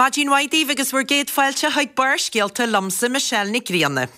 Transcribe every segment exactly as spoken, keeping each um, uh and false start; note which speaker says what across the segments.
Speaker 1: Maidin mhaith daoibh agus bhur gcéad fáilte chuig Barrscéalta liomsa Michelle Nic Grianna.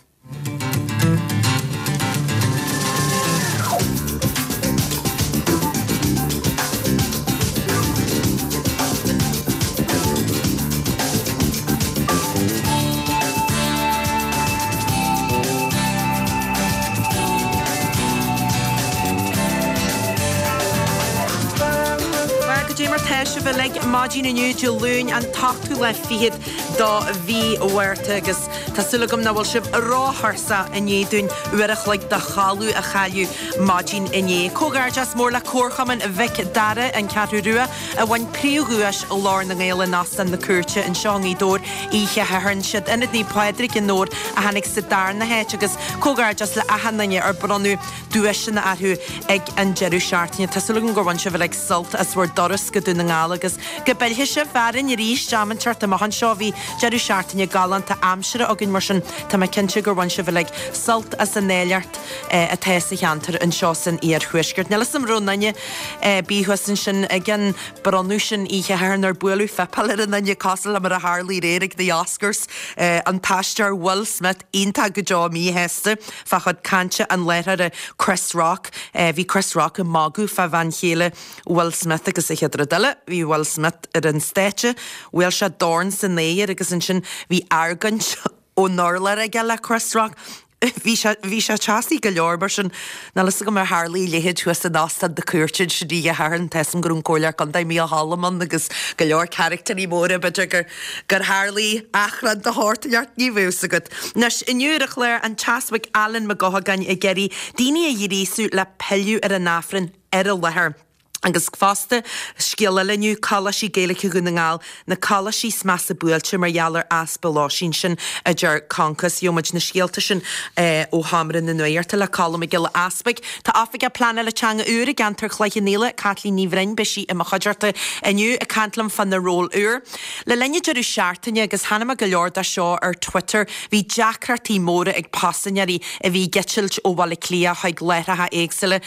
Speaker 1: Bhuel, goidé mar tá sibh uilig maidin inniu Dé Luain an t-ochtú lá fichead do mhí Mhárta agus tá súil agam nach bhfuil sibh róthuirseach i ndiaidh dúinn uair a chloig de chodladh a chailleadh maidin inné. Comhghairdeas mór le Comharchumann Mhic Dara, An Cheathrú Rua, a bhain príomhdhuais Ghlór na nGael in Óstán na Cúirte anseo i nGaoth Dobhair oíche Shathairn. Siad Ionad Naomh Pádraig i nDobhar a tháinig sa darna háit agus comhghairdeas le achan duine ar bronnadh duaiseanna orthu ag an deireadh seachtaine. Tá súil agam gur bhain sibh uilig sult as bhur dturas go Dún na nGall agus go bpillfidh sibh orainn arís am inteacht amach anseo. Bhí deireadh seachtaine galánta aimsire againn mar sin tá mé cinnte gur bhain sibh uilig sult as an áilleacht atá sa cheantar anseo san iarthuaisceart. Níl 'fhios a'm raibh duine ar bith thuas ansin ag an bronnadh sin oíche Shathairn ar buaileadh fuipeáil ar an duine cosúil le mar a tharlaigh aréir ag the Oscars. An t-aisteoir Will Smith iontach go deo míshásta fá chuid cainte an láithreora Chris Rock. Bhí Chris Rock ag magadh fá bhean chéile Will Smith agus an chéad rud eile bhí Will Smith ar an stáitse, bhuail sé dorn san aer agus ansin bhí argóint ón urlár aige le Chris Rock. Bhí sé bhí sé teasaí go leor mar sin níl 'fhios agam ar tharla a leithéid thuas in Óstán na Cúirte ansin oíche Shathairn tá 'fhios a'm go raibh an Comhairleoir Contae Mícheál Choilm ann agus go leor caractéirí móra b'fhéidir gur gur tharlaigh achrann de shórt inteacht ní bheadh 'fhios agat. Anois inniu ar an chlár an tEaspag Alan Mac Eochagáin ag iarraidh daoine a ghríosú le pilleadh ar an Aifreann ar an láthair. Agus fosta, scéal eile inniu, Coláistí Gaeilge Dhún na nGall, na coláistí is measa buailte mar gheall ar easpa lóistín, sin a deir Concos. Gheobhaidh muid na scéalta sin ó Sheomra na Nuachta le Colm Mac Giolla Easpaig. Tá Oifigeach Pleanála Teanga úr i gceantar Chloich Cheann Fhaola, Caitlín Ní Bhroin, beidh sí i mo chuideachta inniu ag caint liom fá na róil úr. Le linn an deireadh seachtaine, agus chonaic mé go leor de seo ar Twitter, bhí deacrachtaí móra ag paisinéirí a bhí ag eitilt ó Bhaile Átha Cliath chuig láithreacha éagsúla.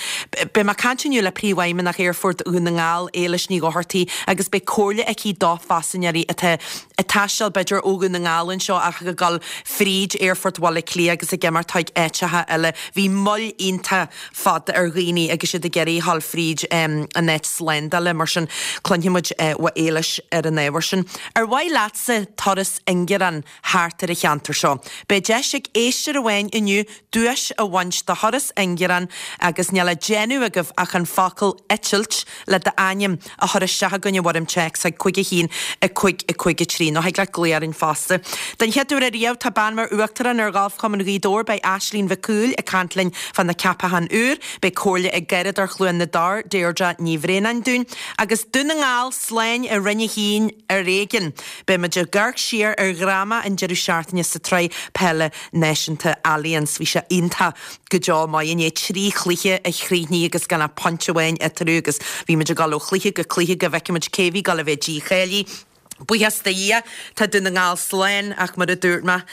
Speaker 1: Beidh mé ag caint inniu le Príomhfheidhmeannach Aerfort Dhún na nGall, Éilis Ní Dhochartaigh, agus beidh comhairle aici do phaisinéirí atá ag taisteal b'fhéidir ó Dhún na nGall anseo ach ag dul fríd Aerfort Bhaile Átha Cliath agus ag imeacht chuig áiteacha eile. Bhí moill iontach fada ar dhaoine agus iad ag iarraidh dhul fríd an áit slándála, mar sin cluinfidh muid ó Éilis ar an ábhar sin. Ar mhaith leatsa turas ingearáin thart ar an cheantar seo? Beidh deis ag éisteoir amháin inniu duais a bhaint de thuras ingearáin agus níl le déanamh agaibh ach an focal 'eitilt' le d'ainm a chur isteach chugainn i bhfoirm téacs chuig cúig a haon, a cúig, a cúig a trí nó thig leat glaoch orainn fosta. Den chéad uair ariamh tá bean mar Uachtarán ar Ghalfchumann Ghaoth Dobhair, beidh Aislínn Mhic Cumhaill ag caint linn fá na ceapacháin úr, beidh comhairle ag Garradóir Chluain na dTor, Deirdre Ní Bhraonáin dúinn, agus Dún na nGall slán i Roinn a hAon ar éigean. Beidh muid ag amharc siar ar dhráma an deireadh seachtaine sa tSraith Peile Náisiúnta Allianz. Bhí sé iontach go deo maith inné, trí chluiche a chríochnaigh agus gan ach pointe amháin eatarthu agus bhí muid ag dul ó chluiche go cluiche go bhfeicfidh muid cé bhí ag dul a bheith dícháilithe. Buíochas do Dhia, tá Dún na nGall slán ach mar a dúirt mé,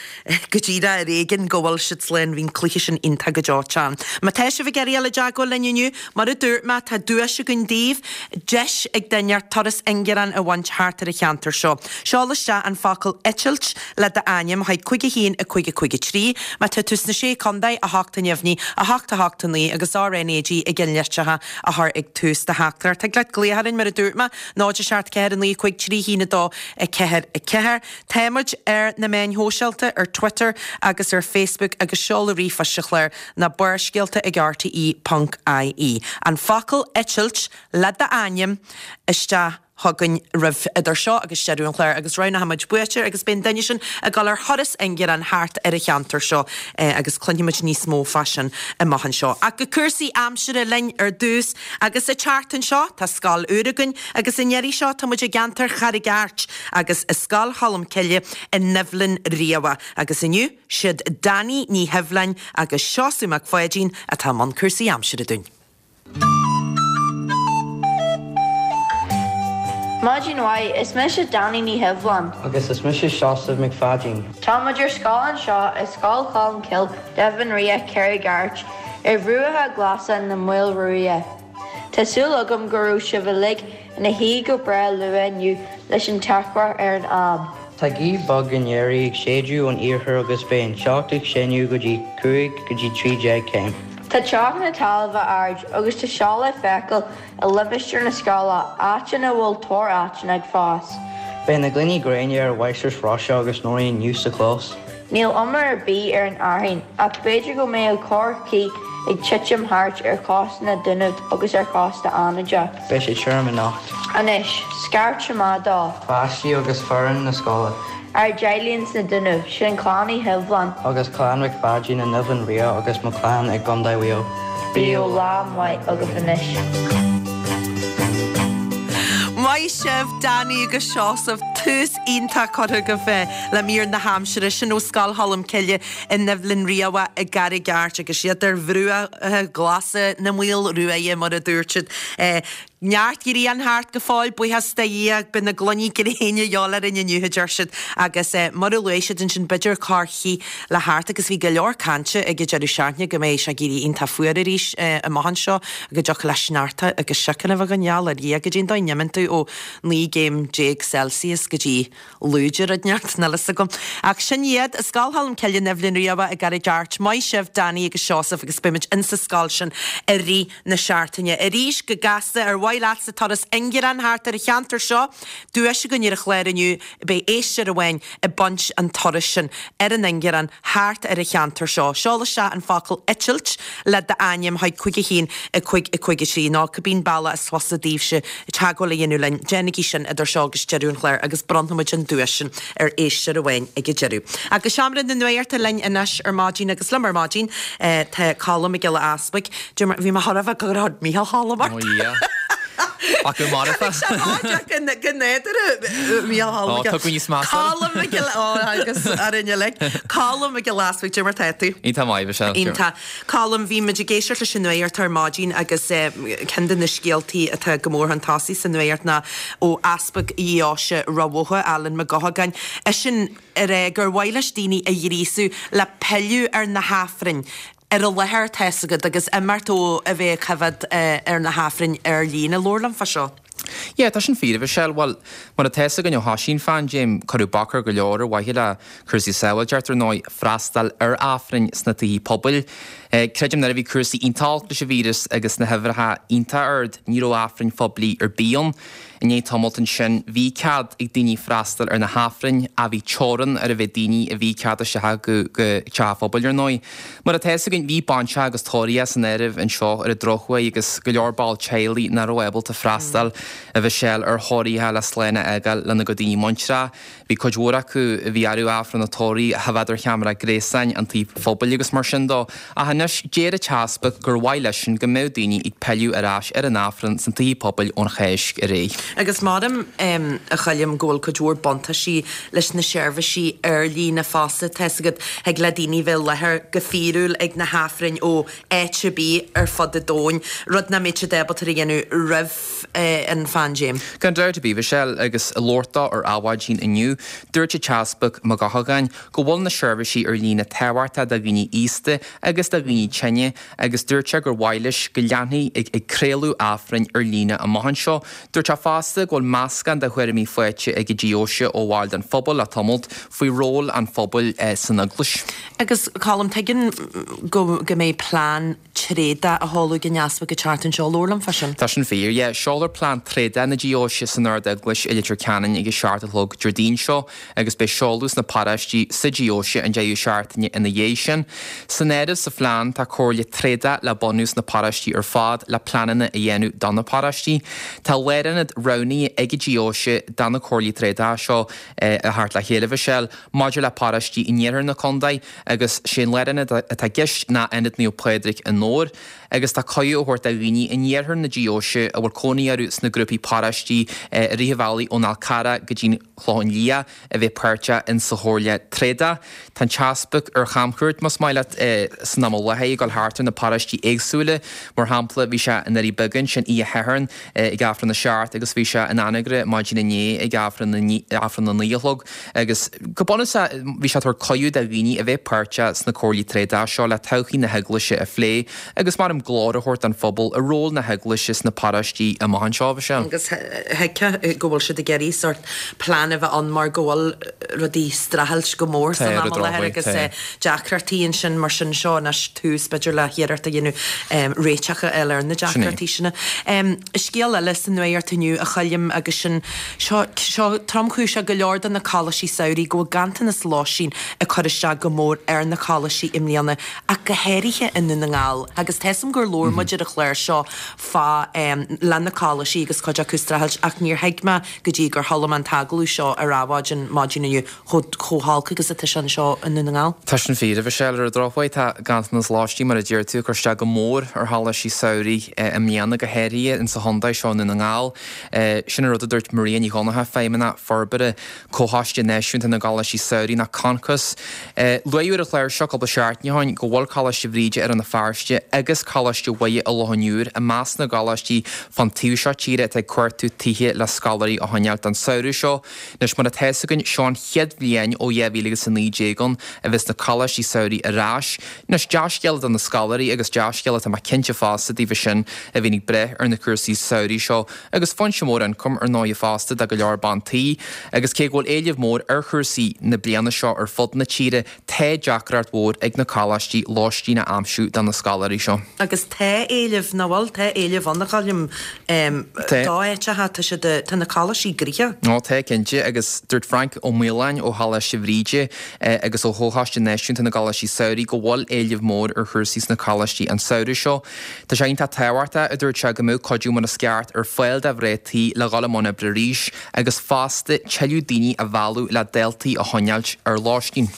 Speaker 1: go díreach ar éigean go bhfuil siad slán, bhí an cluiche sin iontach go deo teann. Má tá sibh ag iarraidh dul i dteagmháil linn inniu, mar a dúirt mé, tá duais againn daoibh, deis ag duine turas ingearáin a bhaint thart ar an cheantar seo. Seol isteach an focal 'eitilt' le d'ainm chuig cúig a haon, a cúig a cúig a trí. Má tá tú sna Sé Contae, a hocht an neamhní, a hocht a hocht a naoi agus RnaG i gceannlitreacha a chur ag tús do theachtaireacht. Thig leat glaoch orainn mar a dúirt mé, náid a seacht ceathair a naoi cúig trí haon a dó a ceathair a ceathair. Tá muid ar na meáin shóisialta, ar Twitter agus ar Facebook agus seoladh ríomhphoist an chláir ná barrscéalta ag rte ponc ie. An focal 'eitilt' le d'ainm isteach chugainn roimh idir seo agus deireadh an chláir agus roghnóidh muid buaiteoir agus beidh an duine sin ag dul ar thuras ingearáin thart ar an cheantar seo agus cluinfidh muid níos mó fá sin amach anseo. Ach go cúrsaí aimsire linn ar dtús agus an tseachtain seo tá scoil úr againn agus an iarraidh seo tá muid i gceantar Charraig Airt agus i Scoil Cholmcille i nDoibhlinn Riabhach agus inniu siad Danny Ní Sheibhleáin agus Seosamh Mac Pháidín atá i mbun cúrsaí aimsire dúinn.
Speaker 2: Maidin mhaith, is mise Danny Ní Sheibhleáin.
Speaker 3: Agus is mise Seosamh Mac Pháidín.
Speaker 2: Tá muid ar scoil anseo i Scoil Cholmcille, Doibhlin Riach, Carraig Airt, ar bhruacha glasa na Maoilruaidhe. Tá súil agam go raibh sibh uilig ina shuí go breá luath inniu leis an teacht ar an am.
Speaker 3: Tá gaoth bhog aniar ag séideadh ón iarthar agus beidh an teocht ag síneadh go dtí cúig go dtí trí déag céim.
Speaker 2: Tá teocht na talmhan ard agus tá seo le feiceáil i limistéar na scoile áit ina bhfuil tor aiteann ag fás.
Speaker 3: Beidh na gloiní gréine ar Mháistreás Róise agus Nóirín inniu sa chlós.
Speaker 2: Níl umair ar bith ar an fhearthainn ach b'fhéidir go mbeidh corrchith ag titim thart ar chósta na Dúnaibh agus ar chósta Fhánada.
Speaker 3: Beidh sé tirim anocht.
Speaker 2: Anois, scairt amach do.
Speaker 3: Páistí agus foireann na scoile.
Speaker 2: Ár dteaghlaigh sna Dúnaibh, sin Clann Uí Shibhleáin.
Speaker 3: Agus Clann Mhic Pháidín i nDoimhin Ria agus mo chlann i gContae Mhaigh Eo.
Speaker 2: Bíodh lá maith agaibh anois.
Speaker 1: Maith sibh Danny agus Seosamh tús iontach curtha agaibh le mír na haimsire sin ó Scoil Cholm Cille i nDoibhlinn Riabhach i gCarraig Airt agus siad ar bhruacha glasa na Maoilruaidhe mar a dúirt siad. Neart grian thart go fóill buíochas do Dhia beidh na gloiní gréine geall ar inniu deir siad agus mar a luaigh siad ansin b'fhéidir corrchith le theacht agus bhí go leor cainte ag an deireadh seachtaine go mbeidh sé ag éirí iontach fuar arís amach anseo go dtiocfadh le sneachta agus siocanna bheith go gheall ar Dhia go dtí an dóigh n-imíonn tú ó naoi gcéim déag Celsius go dtí lúide rud neart níl a fhios agam. Ach sin iad Scoil Cholm Cille i nDoibhlinn Riabhach i gCarraig Airt, maith sibh Danny agus Seosamh agus beimid insa scoil sin i rith na seachtaine. Arís go gasta ar mhaith leatsa turas ingearán thart ar an cheantar seo, duais againn ar an chlár inniu beidh éisteoir amháin ag baint an turas sin ar an ingearán thart ar an cheantar seo. Seol isteach an focal eitilt le d'ainm chuig cúig a haon a cúig a cúig a trí nó cibé bealach is fusa daoibhse teagmháil a dhéanamh linn déanaigí sin idir seo agus deireadh an chláir agus bronnfaimid an duais sin ar éisteoir amháin ag an deireadh. Agus seomra na nuachta linn anois ar maidin agus liom ar maidin tá Colm Mac Giolla Easbuig. Bhí me thra bheith go raibh Mícheál Cholm
Speaker 4: Ach go mar
Speaker 1: go néidir Mícheál
Speaker 4: Tá níos measa.
Speaker 1: Colm Mac agus ar inne le Colm Mac Giolla Easbuig mar tá tú.
Speaker 4: Iontach maith sé.
Speaker 1: Iontach. Colm bhí muid ag éisteacht leis an nuacht ar maidin agus ceann de na scéaltaí atá go mór chun tosaigh sa nuacht ná ó Easpag Dheoise Ráth Bhoth Alan Mac Gothagáin. É sin ar é gur mhaith leis daoine a ghríosú le pilleadh ar na hAifrinn ar an láthair tá a fhios agat agus imeacht ó a bheith coimhéad ar na hAifrinn ar líne labhair liom fá seo.
Speaker 4: Yeah, tá sin fíor Michelle, well mar atá a fhios againn ó thosaigh an phaindéim cuireadh bac ar go leor ar mhaithe le cúrsaí sábháilteachta ar ndóigh freastal ar Aifrinn sna tithe pobail. Eh, creidim nuair a bhí cúrsaí iontach leis an víreas agus na huimhreacha iontach ard, ní raibh Aifrinn phoiblí ar bith ann. I ndiaidh tamaill ansin bhí cead ag daoine freastal ar na hAifrinn a bhí teorainn ar a mhéad daoine a bhí cead isteach go go teach phobail ar ndóigh. Mar atá a fhios againn bhí bainseach agus tórraithe san áireamh anseo ar an drochuair agus go leor ball teaghlaigh nach raibh ábalta freastal a Mhichelle ar thórraithe le slán a fhágáil lena gcuid daoine muinteartha. Bhí cuid mhór acu a bhí orthu Aifreann an tórraimh a choimhéad ar cheamara gréasáin an tí phobail agus mar sin dó. Ach anois deir an tEaspag gur mhaith leisean go mbeadh daoine ag pilleadh ar ais ar an Aifreann san tithe pobail ón Cháisc ar aghaidh.
Speaker 1: Agus maram um, a Choilm go bhfuil cuid mhór buntáistí leis na seirbhísí ar líne fosta tá a fhios agat thig le daoine bheith i láthair go fíorúil ag na hAifrinn ó áit ar bith ar fud an domhain, rud nach mbeadh siad ábalta a dhéanamh roimh eh, an phaindéim.
Speaker 4: Gan dabht ar bith Michelle agus ag labhairt dó ar Adhmhaidin inniu, dúirt an tEaspag Mac Gothagáin go bhfuil na seirbhísí ar líne tábhachtach do dhaoine aosta agus do dhaoine tinne agus dúirt sé gur mhaith leis go leanfaí ag, ag craoladh Aifrinn ar líne amach anseo. Dúirt sé fosta go bhfuil meascán de thuairimí faighte ag an deoise ó bhaill den phobal le tamalt faoi ról an phobail eh, san eaglais.
Speaker 1: Agus Colm tuigim go, go mbeidh plean tréada á sheoladh ag an Easpag an tseachtain seo labhair liom fá sin.
Speaker 4: Tá sin fíor, yeah, seolfar plean tréada na deoise san Ard-Eaglais i Leitir Ceanainn ag a seacht a chlog Déardaoin seo agus beidh seoladh sna paráistí sa deoise an deireadh seachtaine ina dhiaidh sin. San áireamh sa phlean tá comhairle tréada le bunú sna paráistí ar fad le pleananna a dhéanamh do na paráistí. Tá lárionad roghnaithe ag an deoise do na comhairlí tréada seo eh, a theacht le chéile Michelle maidir le paráistí in iarthar na contae agus sé an lárionad atá i gceist ná Ionad Naomh Pádraig i nDobhar. agus tá cuireadh á thabhairt do dhaoine in iarthar na deoise a bhfuil cónaí orthu sna grúpaí paráistí i rith an bhealaigh ón Fhál Carrach go dtí Clochán Liath a bheith páirteach in sa chomhairle tréada. Tá an tEaspag ar chamchuairt más maith leat san am i láthair. láthair ag dul thart ar na paróistí éagsúla. Mar shampla, bhí sé i nDoirí Beaga ansin oíche Shathairn ag Aifreann a seacht agus bhí sé in Anagaire maidin inné ag Aifreann Aifreann a naoi a chlog agus go bunúsach bhí sé ag tabhairt cuireadh do dhaoine a bheith páirteach sna comhairlí tréada seo le todhchaí na heaglaise a phlé agus mar glór a thabhairt don phobal ar ról na heaglaise sna paróistí amach anseo bhí sé.
Speaker 1: Agus thuigfeá go bhfuil siad ag iarraidh sórt plean a bheith ann mar go bhfuil rudaí streachailt go mór san am i láthair agus deacrachtaí ansin mar sin seo anois tús b'fhéidir le hiarracht a dhéanamh réiteach a fháil ar na deacrachtaí sin. Scéal eile sa nuacht inniu a Choilm agus sin seo seo tromchúiseach go leor de na coláistí samhraidh go bhfuil ganntanas lóistín ag cur isteach go mór ar na coláistí i mbliana ach go háirithe i nDún na nGall agus tá a fhios agam gur labhair muid ar an chlár seo fá le na coláistí agus cuid acu streachailt ach níor thuig mé go dtí gur chuala mé an t-agallamh seo ar Adhmhaidin maidin inniu chomh chomh holc agus atá sé anseo i nDún na nGall.
Speaker 4: Tá sin fíor, a Mhichelle, ar an drochuair tá ganntanas lóistín mar a deir tú ag cur isteach go mór ar choláistí samhraidh i mbliana go háirithe insa chontae seo i nDún na nGall. Sin an rud a dúirt Maria Ní Dhonncha, Feidhmeannach Forbartha Comhchoiste Náisiúnta na gColáistí Samhraidh nó Concos. Luadh ar an chlár seo cúpla seachtain ó shin go bhfuil Coláiste Bhríde i Rann na Feirste agus Coláiste Mhuire i Loch an Iúir i measc na gcoláistí fán taobh seo tíre atá ag cuartú tithe le scoláirí a choinneáil don samhradh seo. Anois mar atá fhios againn seo an chéad bhliain ó dhá mhíle agus a naoi déag ann a bheas na coláistí samhraidh ar ais. Anois dea-scéala do na scoláirí agus dea-scéala tá mé cinnte fosta daofa sin a bhíonn ag breith ar na cúrsaí samhraidh seo agus foinse mór ioncaim ar ndóigh fosta do go leor bean tí. Agus cé go bhfuil éileamh mór ar chúrsaí na bliana seo ar fud na tíre, tá deacracht mhór ag na coláistí lóistín a aimsiú do na scoláirí seo.
Speaker 1: Agus tá éileamh nach bhfuil tá éileamh ann a Choilm d'áiteacha tá siad tá na coláistí gnoitheach.
Speaker 4: Ó tá cinnte agus dúirt Frank Ó Maoláin ó Choláiste Bhríde agus ó Chomhchoiste Náisiúnta na gColáistí Samhraidh go bhfuil éileamh mór ar chúrsaí sna coláistí an samhradh seo. Tá sé iontach tábhachtach a dúirt sé go mbeadh cuidiú mar is ceart ar fáil do mhná tí le dhul i mbun oibre arís agus fosta tuilleadh daoine a mhealladh le daltaí a choinneáilt ar lóistín.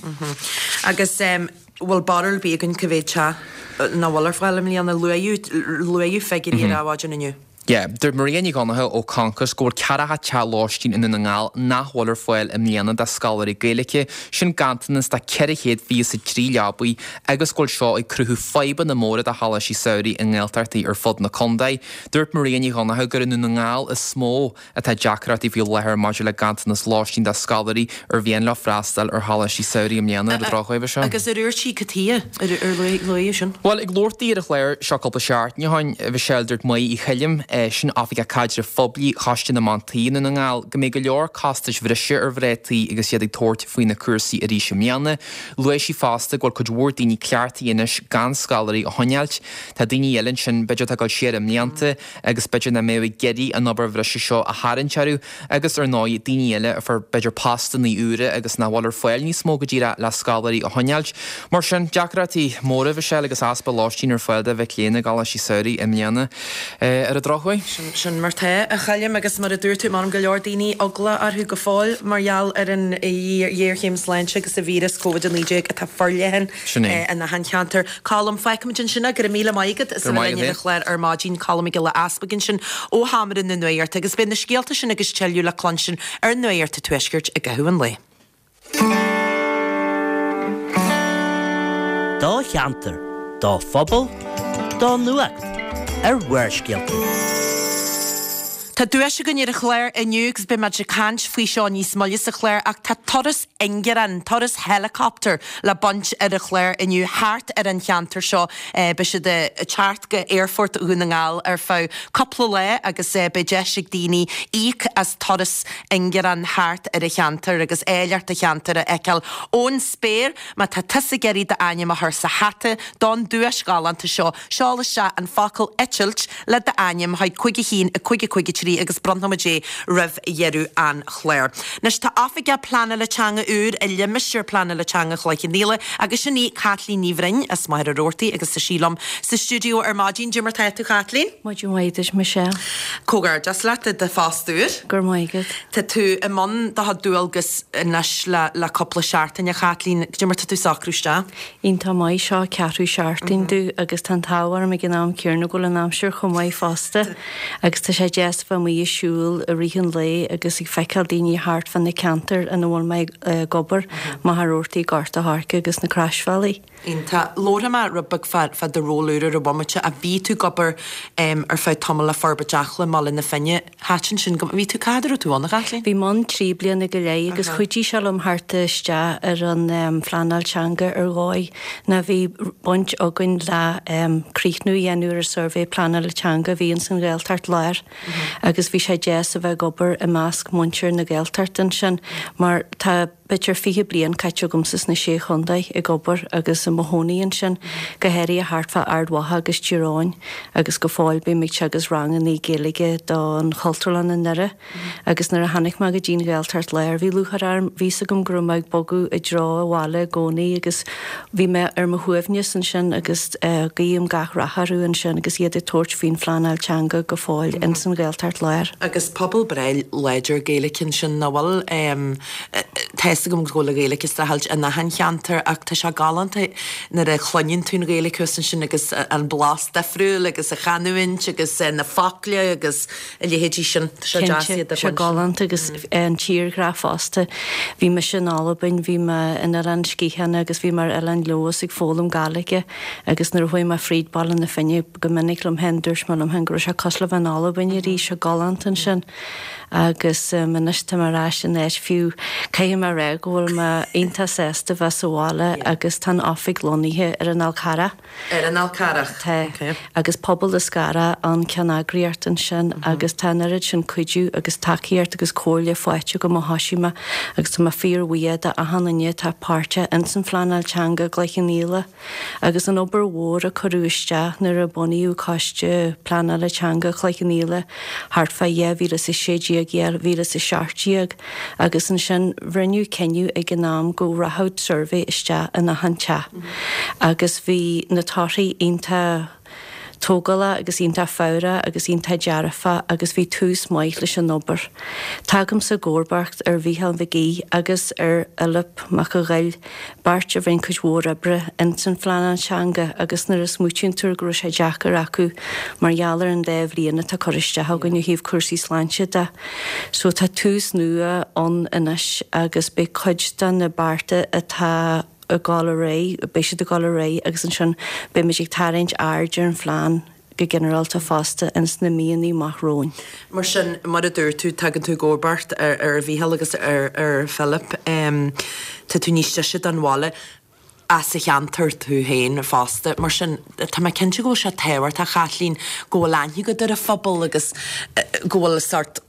Speaker 1: Agus bhfuil barúil ar bith againn cá mhéad teach nach bhfuil ar fáil i mbliana luadh luadh figiúirí ar Adhmhaidin inniu.
Speaker 4: Yeah, dúirt Maria Ní Dhonncha ó Concos go bhfuil ceathracha teach lóistín i nDún na nGall nach bhfuil ar fáil i mbliana do scoláirí Gaeilge, sin ganntanas de ceithre chéad fiche a trí leabaí agus go bhfuil seo ag cruthú fadhbanna móra do choláistí samhraidh i nGaeltachtaí ar fud na contae. Dúirt Maria Ní Dhonncha gur i nDún na nGall is mó atá deacrachtaí faoi láthair maidir le ganntanas lóistín do scoláirí ar mhian leo freastal ar choláistí samhraidh i mbliana ar an drochuair seo.
Speaker 1: Agus ar dúirt sí cad chuige ar ar luadh sin?
Speaker 4: Well ag labhairt di ar an chlár seo cúpla seachtain ó shin, a Mhichelle dúirt Máire Uí Choilm sin Oifigeach Caidrimh Phoiblí Choiste na mBan Tí i nDún na nGall go mbeidh go leor costais bhreise ar mhná tí agus iad ag tabhairt faoi na cúrsaí arís i mbliana. Luaigh sí fosta go bhfuil cuid mhór daoine cleachtaithe anois gan scoláirí a choinneáilt. Tá daoine eile ansin b'fhéidir atá ag dul siar i mblianta agus b'fhéidir nach mbeadh ag iarraidh an obair bhreise seo a tharraingt orthu agus ar ndóigh daoine eile a fuair b'fhéidir postanna úra agus nach bhfuil ar fáil níos mó go díreach le scoláirí a choinneáilt. Mar sin deacrachtaí móra Mhichelle agus easpa lóistín ar fáil do mhic léinn i gcoláistí samhraidh i mbliana ar an drochuair.
Speaker 1: Sin sin mar tá a Choilm agus mar a dúirt tú mar go leor daoine eagla orthu go fóill mar gheall ar an ghéarchéim sláinte agus an víreas Covid a naoi déag atá forleathan
Speaker 4: Sin é.
Speaker 1: in achan cheantar. Colm fágfaimid ansin é go raibh míle maith agat as a
Speaker 4: Go raibh maith
Speaker 1: bheith linn ar
Speaker 4: agat.
Speaker 1: an chlár ar maidin Colm Mac Giolla Easpaig ansin ó Sheomra na Nuachta agus beidh na scéalta sin agus tuilleadh le cluinstin ar Nuacht an Tuaiscirt i gcaitheamh an lae.
Speaker 5: Do cheantar, do phobal, do nuacht ar Bharrscéalta.
Speaker 1: Tá duais againn ar an chlár inniu agus beidh muid ag caint faoi seo níos moille sa chlár ach tá turas ingearán, turas helicopter le baint ar an chlár inniu thart ar an cheantar seo e, beidh siad ag teacht go Aerfort Dhún na nGall ar feadh cúpla lá agus e, beidh deis ag daoine íoc as turas ingearán thart ar an cheantar agus áilleacht an cheantair a fheiceáil ón spéir má tá tusa ag iarraidh d'ainm a chur sa hata don duais ghalánta seo seol isteach an focal eitilt le d'ainm chuig cúig a haon a cúig a cúig a trí agus bronnfaimid é roimh dheireadh an chláir. Anois tá oifigeach pleanála teanga úr i limistéar pleanála teanga Chloich Cheann Fhaola agus sin í Caitlín Ní Bhroin as Machaire Rabhartaigh agus tá sí liom sa stiúideo ar maidin Cad é mar tá tú Caitlín?
Speaker 6: Maidin mhaith duit Michelle
Speaker 1: Comhghairdeas leat i do phost úr.
Speaker 6: Gur maigad.
Speaker 1: Tá tú i mbun do dhualgas anois le le cúpla seachtain a Chaitlín, Cad é mar tá tú socrú isteach.
Speaker 6: Iontach maith seo ceathrú seachtain domh agus tá an t-ádh orm ag an am céanna go bhfuil an aimsir chomh maith fosta agus tá sé deas bheith amuigh ag siúl i rith an lae agus ag feiceáil daoine thart fan na ceantar ina bhfuil mé ag obair Machaire Rabhartaigh Gort an Choirce agus na Croisbhealaí.
Speaker 1: Iontach. Labharfaidh mé rud beag fá fá do ról úr ar an bhomaite ach bhí tú ag obair ar feadh tamaill le Forbairt Acla i mBaile na Finne. Thaitin sin go bhí tú cá fhad a raibh tú ann, a Chaitlín?
Speaker 6: Bhí mé ann trí bliana go leith agus chuidigh sé liom theacht isteach ar an phleanáil teanga ar dhóigh ná bhí baint againn le críochnú a dhéanamh ar an suirbhé pleanála teanga a bhí ins an Ghaeltacht Láir agus bhí sé deas a bheith ag obair i measc muintir na Gaeltachta ansin mar tá b'fhéidir fiche bliain caite agamsa sna Sé Chontae ag obair agus i mo chónaí ansin, go háirithe thart fá Ard Mhacha agus Tír Eoghain agus go fóill bím ag teagasc rangannaí Gaeilge don Chultúrlann i nDoire agus nuair a tháinig mé go dtí an Ghaeltacht Láir bhí lúcháir orm, bhí fhios agam go raibh mé ag bogadh i dtreo an bhaile i gcónaí agus bhí mé ar mo shuaimhneas ansin agus guím gach rath orthu ansin agus iad ag tabhairt faoin phleanáil teanga go fóill ins an Ghaeltacht Láir.
Speaker 1: Agus pobal breá láidir Gaeilge ansin, nach bhfuil? Tá fhios agam go bhfuil an Ghaeilge ag streachailt in achan cheantar ach tá sé galánta nuair a chluineann tú an Ghaeilge thuas ansin agus an blas difriúil agus an chanúint agus na focla agus a leithéidí sin. Tá sé deas
Speaker 6: Cinnte,
Speaker 1: iad a
Speaker 6: sé
Speaker 1: chluinstin.
Speaker 6: galánta agus an tírghrá fosta. Bhí mise in Albain, bhí mé in Oileán Sgitheanach agus bhí mé ar Oileán Leodhas ag foghlaim Gàidhlige agus nuair a chuaigh mé fríd Baile na Finne go minic liom féin, dúirt mé liom féin go raibh sé cosúil le bheith in Albain arís, sé galánta ansin. Agus anois tá mé ar ais in áit fiú, caithfidh mé a rá go bhfuil mé iontach sásta bheith sa bhaile agus tá an oifig lonnaithe ar an Fhál Carrach.
Speaker 1: Ar an Fhál Carrach.
Speaker 6: Tá. Agus Pobal na Scára an ceanneagraíocht ansin agus tá an oiread sin cuidiú agus tacaíocht agus comhairle faighte agam ó thosaigh mé agus tá mé fíorbhuíoch de achan duine atá páirteach ins an phleanáil teanga i gCloich Cheann Fhaola agus an obair mhór a cuireadh isteach nuair a bunaíodh Coiste Pleanála Teanga Chloich Cheann Fhaola thart fá dhá mhíle is a sé déag, dhá mhíle is a seacht déag agus ansin rinneadh cinneadh ag an am go rachadh suirbhé isteach in achan teach agus bhí na torthaí iontach tógálach agus iontach fabhrach agus iontach dearfach agus bhí tús maith leis an obair. Tagaimse i gcomharbacht ar Mhícheál Mhic Aoidh agus ar Fhilip Mac a' Ghoill, beirt a rinne cuid mhór oibre ins an phleanáil teanga agus nuair a smaoitíonn tú go raibh sé deacair acu mar gheall ar an dá bhliain atá curtha isteach againn ó thaobh cúrsaí sláinte de. So tá tús nua ann anois agus beidh cuid de na bearta atá ag dul ar aghaidh, beidh siad ag dul ar aghaidh agus ansin beimid ag tarraingt aird ar an phlean go ginearálta fosta ins na míonna amach romhainn.
Speaker 1: Mar sin, mar a dúirt tú, tagann tú i gcomharbacht ar ar Mhícheál agus ar ar Philip. Tá tú níos deise don bhaile as an cheantar tú féin fosta. Mar sin, tá mé cinnte go bhfuil sé tábhachtach, a Chaitlín, go bhfuil aithne agat ar an phobal agus go bhfuil sórt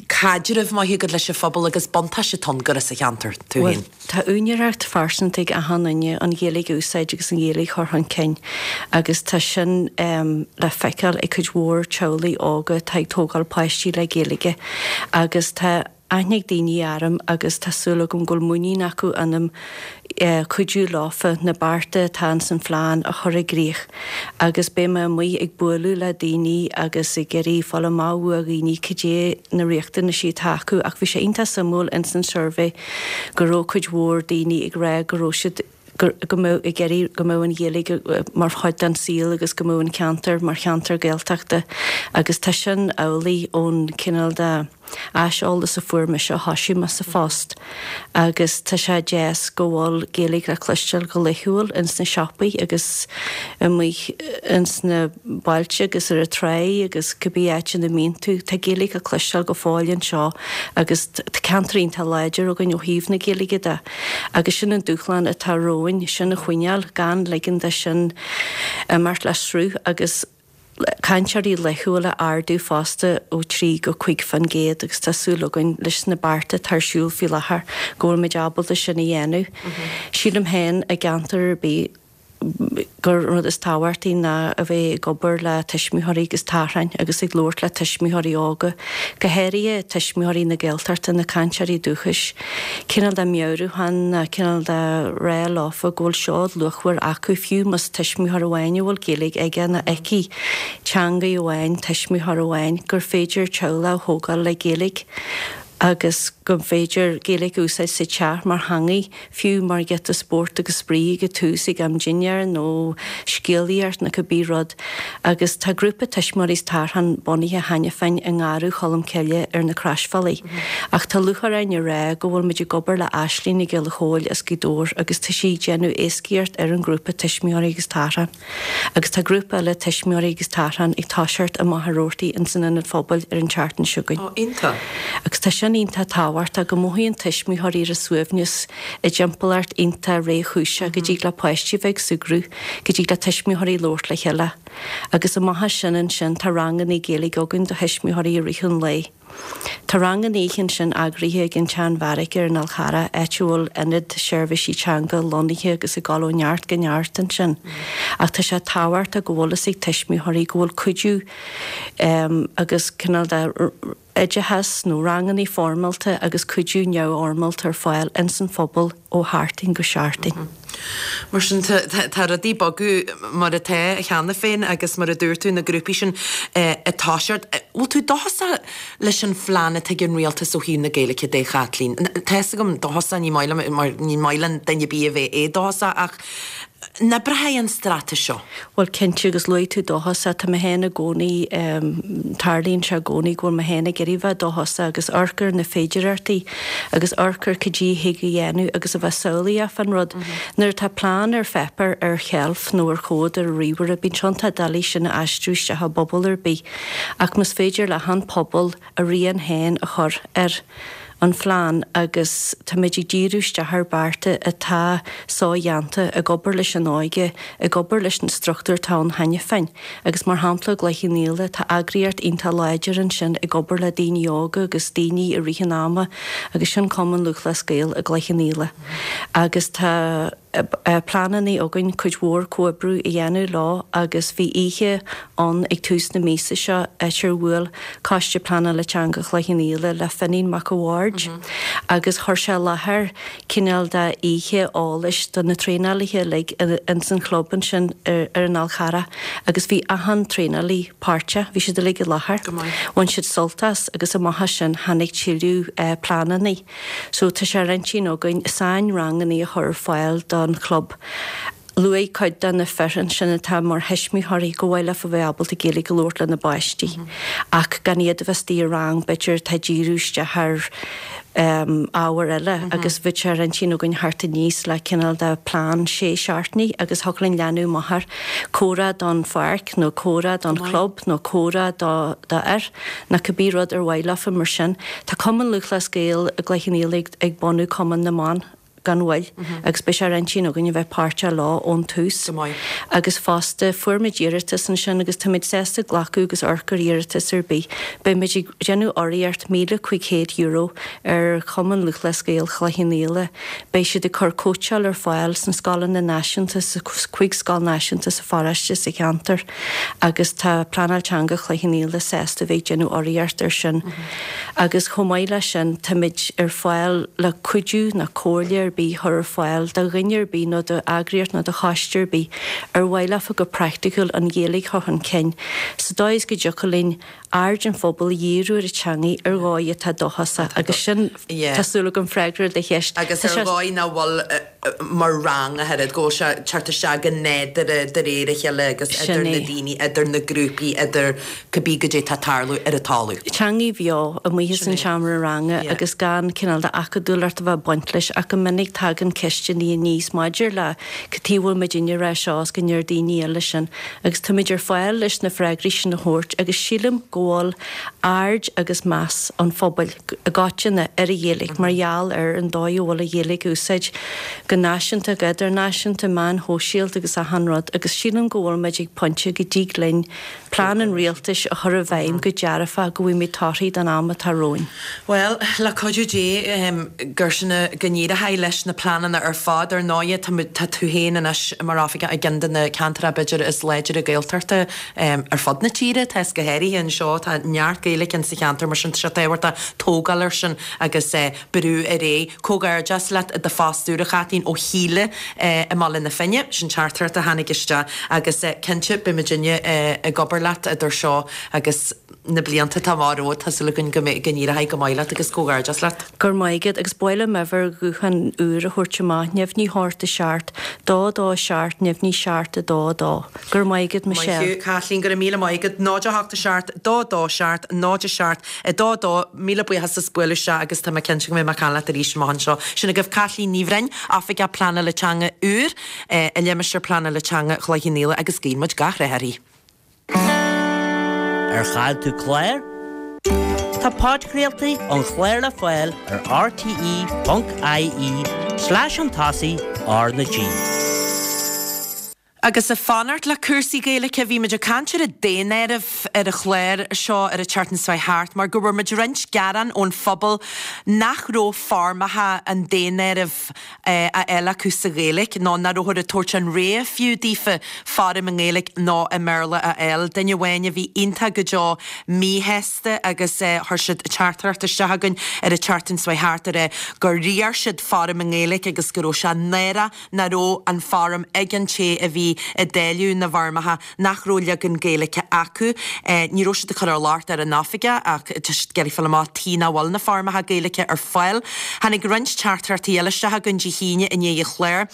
Speaker 1: caidreamh maith agat leis an phobal agus buntáiste atá ann gur as an cheantar tú
Speaker 6: Bhuel,
Speaker 1: féin.
Speaker 6: tá úinéireacht phearsanta ag achan duine an Ghaeilge a úsáid agus an Ghaeilge a chur chun cinn agus tá sin le feiceáil ag cuid mhór teaghlaigh óga atá ag tógáil páistí le Gaeilge agus tá aithne ag daoine orm agus tá súil agam go bhfuil muinín acu ionam cuidiú leofa na bearta atá ins an phlean a chur i gcrích agus beidh mé amuigh ag bualadh le daoine agus ag iarraidh fáil amach ó dhaoine cad é na riachtanaisí atá acu ach bhí sé iontach suimiúil ins an suirbhé go raibh cuid mhór daoine ag rá go raibh siad go mbeadh ag iarraidh go mbeadh an Ghaeilge mar chuid den saol agus go mbeadh an ceantar mar cheantar Gaeltachta agus tá sin amhlaidh ón cineál de aiseolas a fuair mise ó thosaigh mé sa phost agus tá sé deas go bhfuil Gaeilge le cloisteáil go laethúil ins na siopaí agus amuigh ins na bailte agus ar an tráigh agus cibé áit ina mbíonn tú, tá Gaeilge le cloisteáil go fóill anseo agus tá ceantar iontach láidir againn ó thaobh na Gaeilge de agus sin an dúshlán atá romhainn, sin a choinneáil, gan ligean de sin imeacht le sruth agus cainteoirí laethúla a ardú fosta ó trí go cúig faoin gcéad agus tá súil againn leis na bearta atá ar siúl faoi láthair go bhfuil muid ábalta sin a dhéanamh. Sílim féin i gceantar ar bith gur an rud is tábhachtaí ná a bheith ag obair le tuismitheoirí agus tachráin agus ag labhairt le tuismitheoirí óga, go háirithe tuismitheoirí na Gaeltachta, na cainteoirí dúchais, cineál de meabhrúchán ná cineál de rá leofa go bhfuil seod luachmhar acu fiú más tuismitheoir amháin a bhfuil Gaeilge aige nó aici, teangaidh amháin, tuismitheoir amháin, gur féidir teaghlach a thógáil le Gaeilge. agus go mb'fhéidir Gaeilge a úsáid sa teach mar theangaidh, fiú mar ghiota spóirt agus spraoi ag an tús ag am dinnéir nó scéalaíocht nó cibé rud. Agus tá grúpa tuismitheoirí is tarrtháin bunaithe cheana féin i nGarradh Cholm Cille ar na Croisbhealaí. Ach tá lúcháir orainn a rá go bhfuil muid ag obair le Aisling Nic Giolla Chóill as Gaoth Dobhair agus tá sí ag déanamh éascaíocht ar an ngrúpa tuismitheoirí agus tarrtháin. Agus tá grúpa eile tuismitheoirí agus tarrtháin ag toiseacht i Machaire Rabhartaigh ins an Ionad Phobail ar an tseachtain seo chugainn.
Speaker 1: Ó, iontach.
Speaker 6: Agus tá sin iontach tábhachtach go mothaíonn tuismitheoirí ar a suaimhneas i dtimpeallacht iontach réchúiseach go dtig le páistí bheith ag súgradh, go dtig le tuismitheoirí labhairt le chéile. Agus amach as sin ansin tá ranganna Gaeilge againn do thuismitheoirí i rith an lae. Tá ranganna oíche ansin eagraithe ag an tSeanbheairic ar an Fhál Charrach, áit a bhfuil ionad seirbhísí teanga lonnaithe agus ag dul ó neart go neart ansin. Ach tá sé tábhachtach go bhfuil fhios ag tuismitheoirí go bhfuil cuidiú agus cineál de oideachas nó ranganna foirmeálta agus cuidiú neamhfhoirmeálta ar fáil ins an phobal ó sheachtain go seachtain.
Speaker 1: Mar sin tá rudaí ag bogadh mar atá cheana féin agus mar a dúirt tú na grúpaí sin ag toiseacht. Bhfuil tú dóchasach leis an phlean atá ag an rialtas ó thaobh na Gaeilge de, a Chaitlín? Tá fhios agam dóchasach ní maith liom mar ní maith le duine ar bith a bheith éadóchasach ach an oibreoidh an straitéis seo?
Speaker 6: Bhuel cinnte agus luaigh tú dóchasach, tá mé féin i gcónaí, tarlaíonn sé i gcónaí go bhfuil mé féin ag iarraidh bheith dóchasach agus amharc ar na féidearthachtaí agus amharc ar cad é a thig a dhéanamh agus a bheith samhlaíoch fán rud. Nuair atá plean ar pháipéar ar sheilf nó ar chomhad ar ríomhaire bíonn sé iontach doiligh sin a aistriú isteach i bpobal ar bith ach más féidir le han pobal a rian féin a chur ar an phlean agus táimid ag díriú isteach ar bearta atá sodhéanta, ag obair leis an óige, ag obair leis na struchtúir atá ann cheana féin. Agus mar shampla i gCloich Cheann Fhaola, tá eagraíocht iontach láidir ansin ag obair le daoine óga agus daoine i rith an ama agus sin Cumann Lúthchleas Gael i gCloich Cheann Fhaola. Agus tá pleananna againn cuid mhór comhoibriú a dhéanamh leo agus bhí oíche ann ag tús na míosa seo áit ar bhuail Coiste Pleanála Teanga Chloich Cheann Fhaola le Finín Mac a' Bhaird agus chuir sé i láthair cineál de oíche eolais do na traenálaithe uilig ins an chlub ansin ar an Fhál Charrach agus bhí achan traenálaí páirteach, bhí siad uilig i láthair. Bhain siad sult as agus amach as sin tháinig tuilleadh pleananna. So tá sé ar intinn againn sain-ranganna a chur ar fáil don chlub. Luaigh cuid de na fir ansin atá mar thuismitheoirí go mhaith leofa bheith ábalta Gaeilge a labhairt lena bpáistí ach gan iad a bheith istigh i rang b'fhéidir atá ag díriú isteach ar ábhair eile agus bheadh sé ar intinn againn theacht aníos le cineál de plean sé seachtainí agus thiocfadh linn leanúint amach air, comhrá don pháirc nó comhrá don chlub nó comhrá do fhir nó cibé rud ar mhaith leofa mar sin. Tá Cumann Lúthchleas Gael i gCloich Cheann Fhaola ag bunú Cumann na mBan. gan mhoill agus beidh sé ar intinn againn a bheith páirteach leo ón tús. Agus fosta, fuair muid iarratas ansin agus táimid sásta glacadh agus amharc ar iarratas ar bith. Beidh muid ag déanamh urraíocht míle cúig chéad euro ar Chumann Lúthchleas Gael Chloich Cheann Fhaola. Beidh siad ag cur cóitseáil ar fáil sna scoileanna náisiúnta, sa cúig scoil náisiúnta sa pharóiste, sa cheantar agus tá Pleanáil Teanga Chloich Cheann Fhaola sásta a bheith ag déanamh urraíocht ar sin. Agus chomh maith leis sin, táimid ar fáil le cuidiú nó comhairle ar bith a chur ar fáil do dhuine ar bith nó d'eagraíocht nó do choiste ar bith ar mhaith leofa go praiticiúil an Ghaeilge a chur chun cinn sa dóigh is go dtiocfadh linn aird an phobail a dhíriú ar an teangaidh ar dhóigh atá dóchasach agus sin, tá súil agam, freagra ar do cheist.
Speaker 1: Agus ar dhóigh nach bhfuil mar rang ach oiread, go bhfuil sé ag teacht isteach go nádúrtha de réir a chéile agus idir na daoine, idir na grúpaí, idir cibé goidé atá ag tarlú ar an talamh.
Speaker 6: Teangaidh bheo amuigh as an seomra ranga agus gan cineál de acadúlacht a bheith ag baint leis ach go minic tagann ceisteanna aníos maidir le cad chuige a bhfuil muidinne ag rá seo is go ndeir daoine eile sin agus táimid ar fáil leis na freagraí sin a thabhairt agus sílim go bhfuil aird agus meas an phobail i gcoitinne ar an Ghaeilge mar gheall ar an dóigh a bhfuil an Ghaeilge á úsáid go náisiúnta, go idirnáisiúnta, meáin shóisialta agus achan rud agus sílim go bhfuil muid ag pointe go dtig linn plean an rialtais a chur i bhfeidhm go dearfach go bhfaighimid torthaí don am atá romhainn.
Speaker 1: Bhuel, le cuidiú Dé, gur sin go n-éireoidh leis na pleananna ar fad. Ar ndóighe, tá, tá tú féin anois mar oifigeach i gceann de na ceantracha b'fhéidir is láidre Gaeltachta ar fud na tíre, tá is go háirithe anseo, tá neart Gaeilge insa cheantar, mar sin tá sé tábhachtach tógáil air sin agus brú ar aghaidh. Comhghairdeas leat i do phost úr, a Chaitlín, ó Shíle i mBaile na Finne, sin teachtaireacht a tháinig isteach agus cinnte beidh muidinne ag obair leat idir seo agus na blianta atá amach romhat, tá súil againn go mbeidh go n-éireoidh go maith leat agus comhghairdeas leat.
Speaker 6: Go raibh maith agat agus ba mhaith liom uimhir ghutháin úr a thabhairt amach, neamhní hocht a seacht, dó dó seacht, neamhní seacht a dó a dó. Go raibh maith agat Michelle.
Speaker 1: Maith thú Kathleen, go raibh míle maith agat. Náid a hocht a seacht, dó dó seacht, náid a seacht, a dó dó, míle buíochas as bualadh isteach agus tá mé cinnte go mbeidh mé ag caint leat arís amach anseo. Sin agaibh Kathleen Ní Bhroin, Oifigeach Pleanála Teanga úr i Limistéar Pleanála Teanga Chloich Cheann Fhaola agus guíonn muid gach rath uirthi.
Speaker 5: Ar chaill tú clár? Tá podchraoltaí an chláir le fáil ar rte ponc ie slash an tosaigh R na G.
Speaker 1: Agus ag fanacht le cúrsaí Gaeilge, bhí muid ag caint ar an daonáireamh ar an chlár seo ar an tseachtain seo thart mar go bhfuair muid roinnt gearán ón phobal nach raibh foirmeacha an daonáirimh á fháil acu sa Ghaeilge nó nach rabhthar ag tabhairt an rogha fiú daofa foirm i nGaeilge nó i mBéarla a fháil. Duine amháin a bhí iontach go deo míshásta agus chuir siad teachtaireacht isteach chugainn ar an tseachtain seo thart ar gur iarr siad foirm i nGaeilge agus go raibh sé náireach nach raibh an foirm ag an té a bhí ag dáileadh na bhfoirmeacha nach raibh leagan Gaeilge acu. Ní raibh siad ag cur an locht ar an oifigeach ach tá siad ag iarraidh fáil amach cad chuige nach bhfuil na foirmeacha Gaeilge ar fáil. Tháinig roinnt teachtaireachtaí eile isteach chugainn Dé hAoine i ndiaidh an chláir.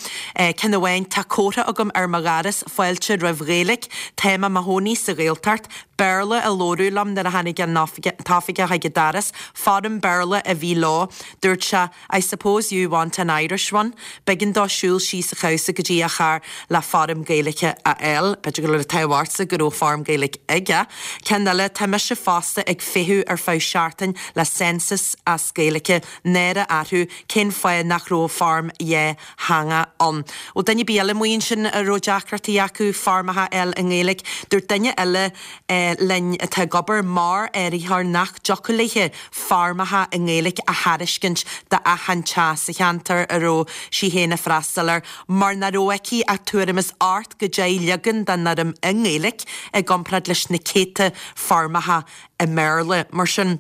Speaker 1: Ceann amháin, tá comhartha agam ar mo dhoras, fáilte roimh Ghaeilge, Táim i mo chónaí sa Ghaeltacht, Béarla a labhradh liom nuair a tháinig an t-oifigeach chuig an doras, foirm Béarla a bhí leo. Dúirt sé, I suppose you want an Irish one. B'éigean dó siúl síos an chabhsa go dtí a charr le foirm Gaeilge a fháil. B'fhéidir go raibh an t-ádh ortsa go raibh foirm Gaeilge aige. Ceann eile, tá mise fosta ag feitheamh ar feadh seachtain le census as Gaeilge, náire orthu, cén fáth nach raibh foirm dhátheangach ann? Ó duine ar bith eile amuigh ansin a raibh deacrachtaí acu foirmeacha a fháil i nGaeilge, dúirt duine eile linn atá ag obair mar áiritheoir nach dtiocfadh léi foirmeacha i nGaeilge a thairiscint d'achan teach sa cheantar a raibh sí féin ag freastal air mar nach raibh aici ach tuairim is ocht go deich leagan den fhoirm i nGaeilge i gcomparáid leis na céadta foirmeacha i mBéarla. Mar sin,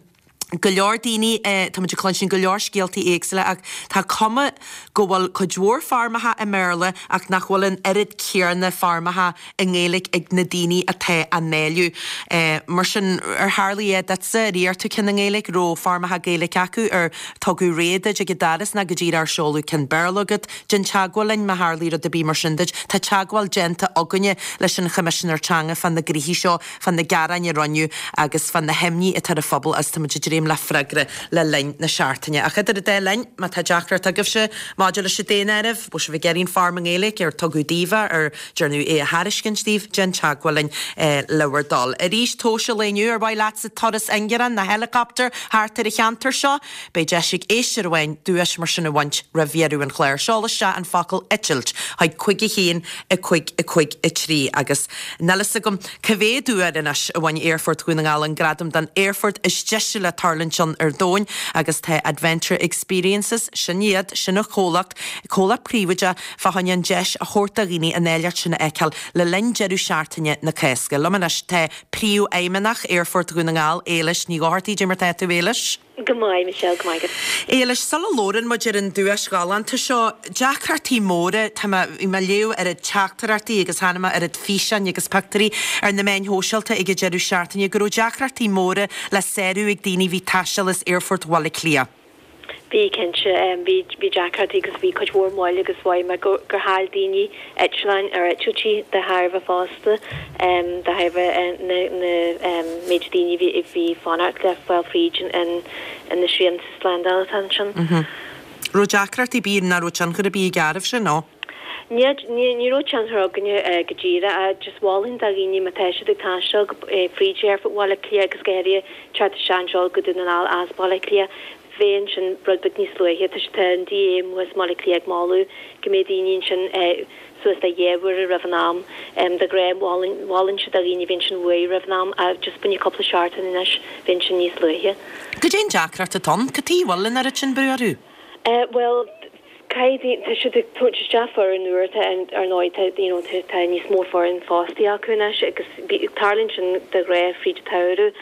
Speaker 1: go leor daoine, tá muid ag cluinstin go leor scéaltaí éagsúla ach tá cuma go bhfuil cuid mhór foirmeacha i mBéarla ach nach bhfuil an oiread céanna foirmeacha i nGaeilge ag na daoine atá á ndáileadh. Mar sin, ar tharlaigh é duitse, ar iarr tú ceann i nGaeilge, raibh foirmeacha Gaeilge acu, ar tugadh rogha duit ag an doras nó go díreach ar seoladh ceann Béarla chugat? Déan teagmháil linn má tharlaigh rud ar bith mar sin duit. Tá teagmháil déanta againne leis an Choimisinéir Teanga fá na gnoithí seo, fá na gearáin a rinneadh agus fá na himní atá ar an phobal agus tá muid ag dréim le freagra le linn na seachtaine. Ach idir an dá linn, má tá deacracht agaibhse maidir leis an daonáireamh, bhfuil sibh ag iarraidh an foirm i nGaeilge, ar tugadh daoibh é, ar dearnadh é a thairiscint daoibh, déan teagmháil linn le bhur dtoil. Arís, tomhais an lae inniu, ar mhaith leatsa turas ingearán nó helicopter thart ar an cheantar seo? Beidh deis ag éisteoir amháin duais mar sin a bhaint roimh dheireadh an chláir. Seol isteach an focal 'eitilt' chuig cúig a haon, a cúig, a cúig, a trí agus níl fhios agam cá mhéad uair anois a bhain Aerfort Dhún na nGall an gradam don aerfort is deise le tarlúint ann ar domhain agus tá Adventure Experiences, sin iad, sin an comhlacht, comhlacht príobháideach, fá choinne an deis a thabhairt do dhaoine an áilleacht sin a fheiceáil le linn deireadh seachtaine na Cásca. Liom anois tá Príomhfheidhmeannach Aerfort Dhún na nGall, Éilis Ní Dhochartaigh. Cad é mar tá tú, Éilis?
Speaker 7: Go maith, Michelle, go maith agat.
Speaker 1: Éilis, sula labhrann muid ar an duais ghalánta seo, deacrachtaí móra, tá mé, bhí mé ag léamh oiread teachtaireachtaí agus chonaic mé oiread físeáin agus pictiúirí ar na meáin shóisialta ag an deireadh seachtaine go raibh deacrachtaí móra le sárú ag daoine a bhí ag taisteal as Aerfort Bhaile Átha Cliath.
Speaker 7: Bhí, cinnte. Bhí, bhí deacrachtaí agus bhí cuid mhór moill agus mhothaigh mé gur, gur chaill daoine eitleáin ar eitiltí de thairbhe fosta, de thairbhe na, na méid daoine a bhí, a bhí ag fanacht le fáil fríd an, an na srianta slándála atá ansin.
Speaker 1: Raibh deacrachtaí ar bith, nach raibh tionchar ar bith ag áireamh sin, nó?
Speaker 7: Ní, ní raibh tionchar againne go díreach, just mholfainn do dhaoine má tá siad ag taisteal fríd Aerfort Bhaile Átha Cliath agus go háirithe teacht isteach anseo go Dún na nGall as Baile Átha Cliath, bheith ansin rud beag níos luaithe. Tá tá an DA amuigh as mBaile Átha Cliath ag moladh go mbeidh daoine ansin suas le dhá uair roimh an am. De ghnáth mholfainnse do dhaoine bheith ansin uair roimh an am ach just bainne cúpla seachtain anois bheith ansin níos luaithe.
Speaker 1: Cad é an deacracht atá ann? Cad chuige a bhfuil an oiread sin brú orthu?
Speaker 7: Bhuel, caithfidh, tá siad ag tabhairt isteach foireann úr, tá, ar ndóigh, tá, you know, tá, tá níos mó foireann fostaithe acu anois agus tarlaíonn sin de ghnáth fríd an tsamhradh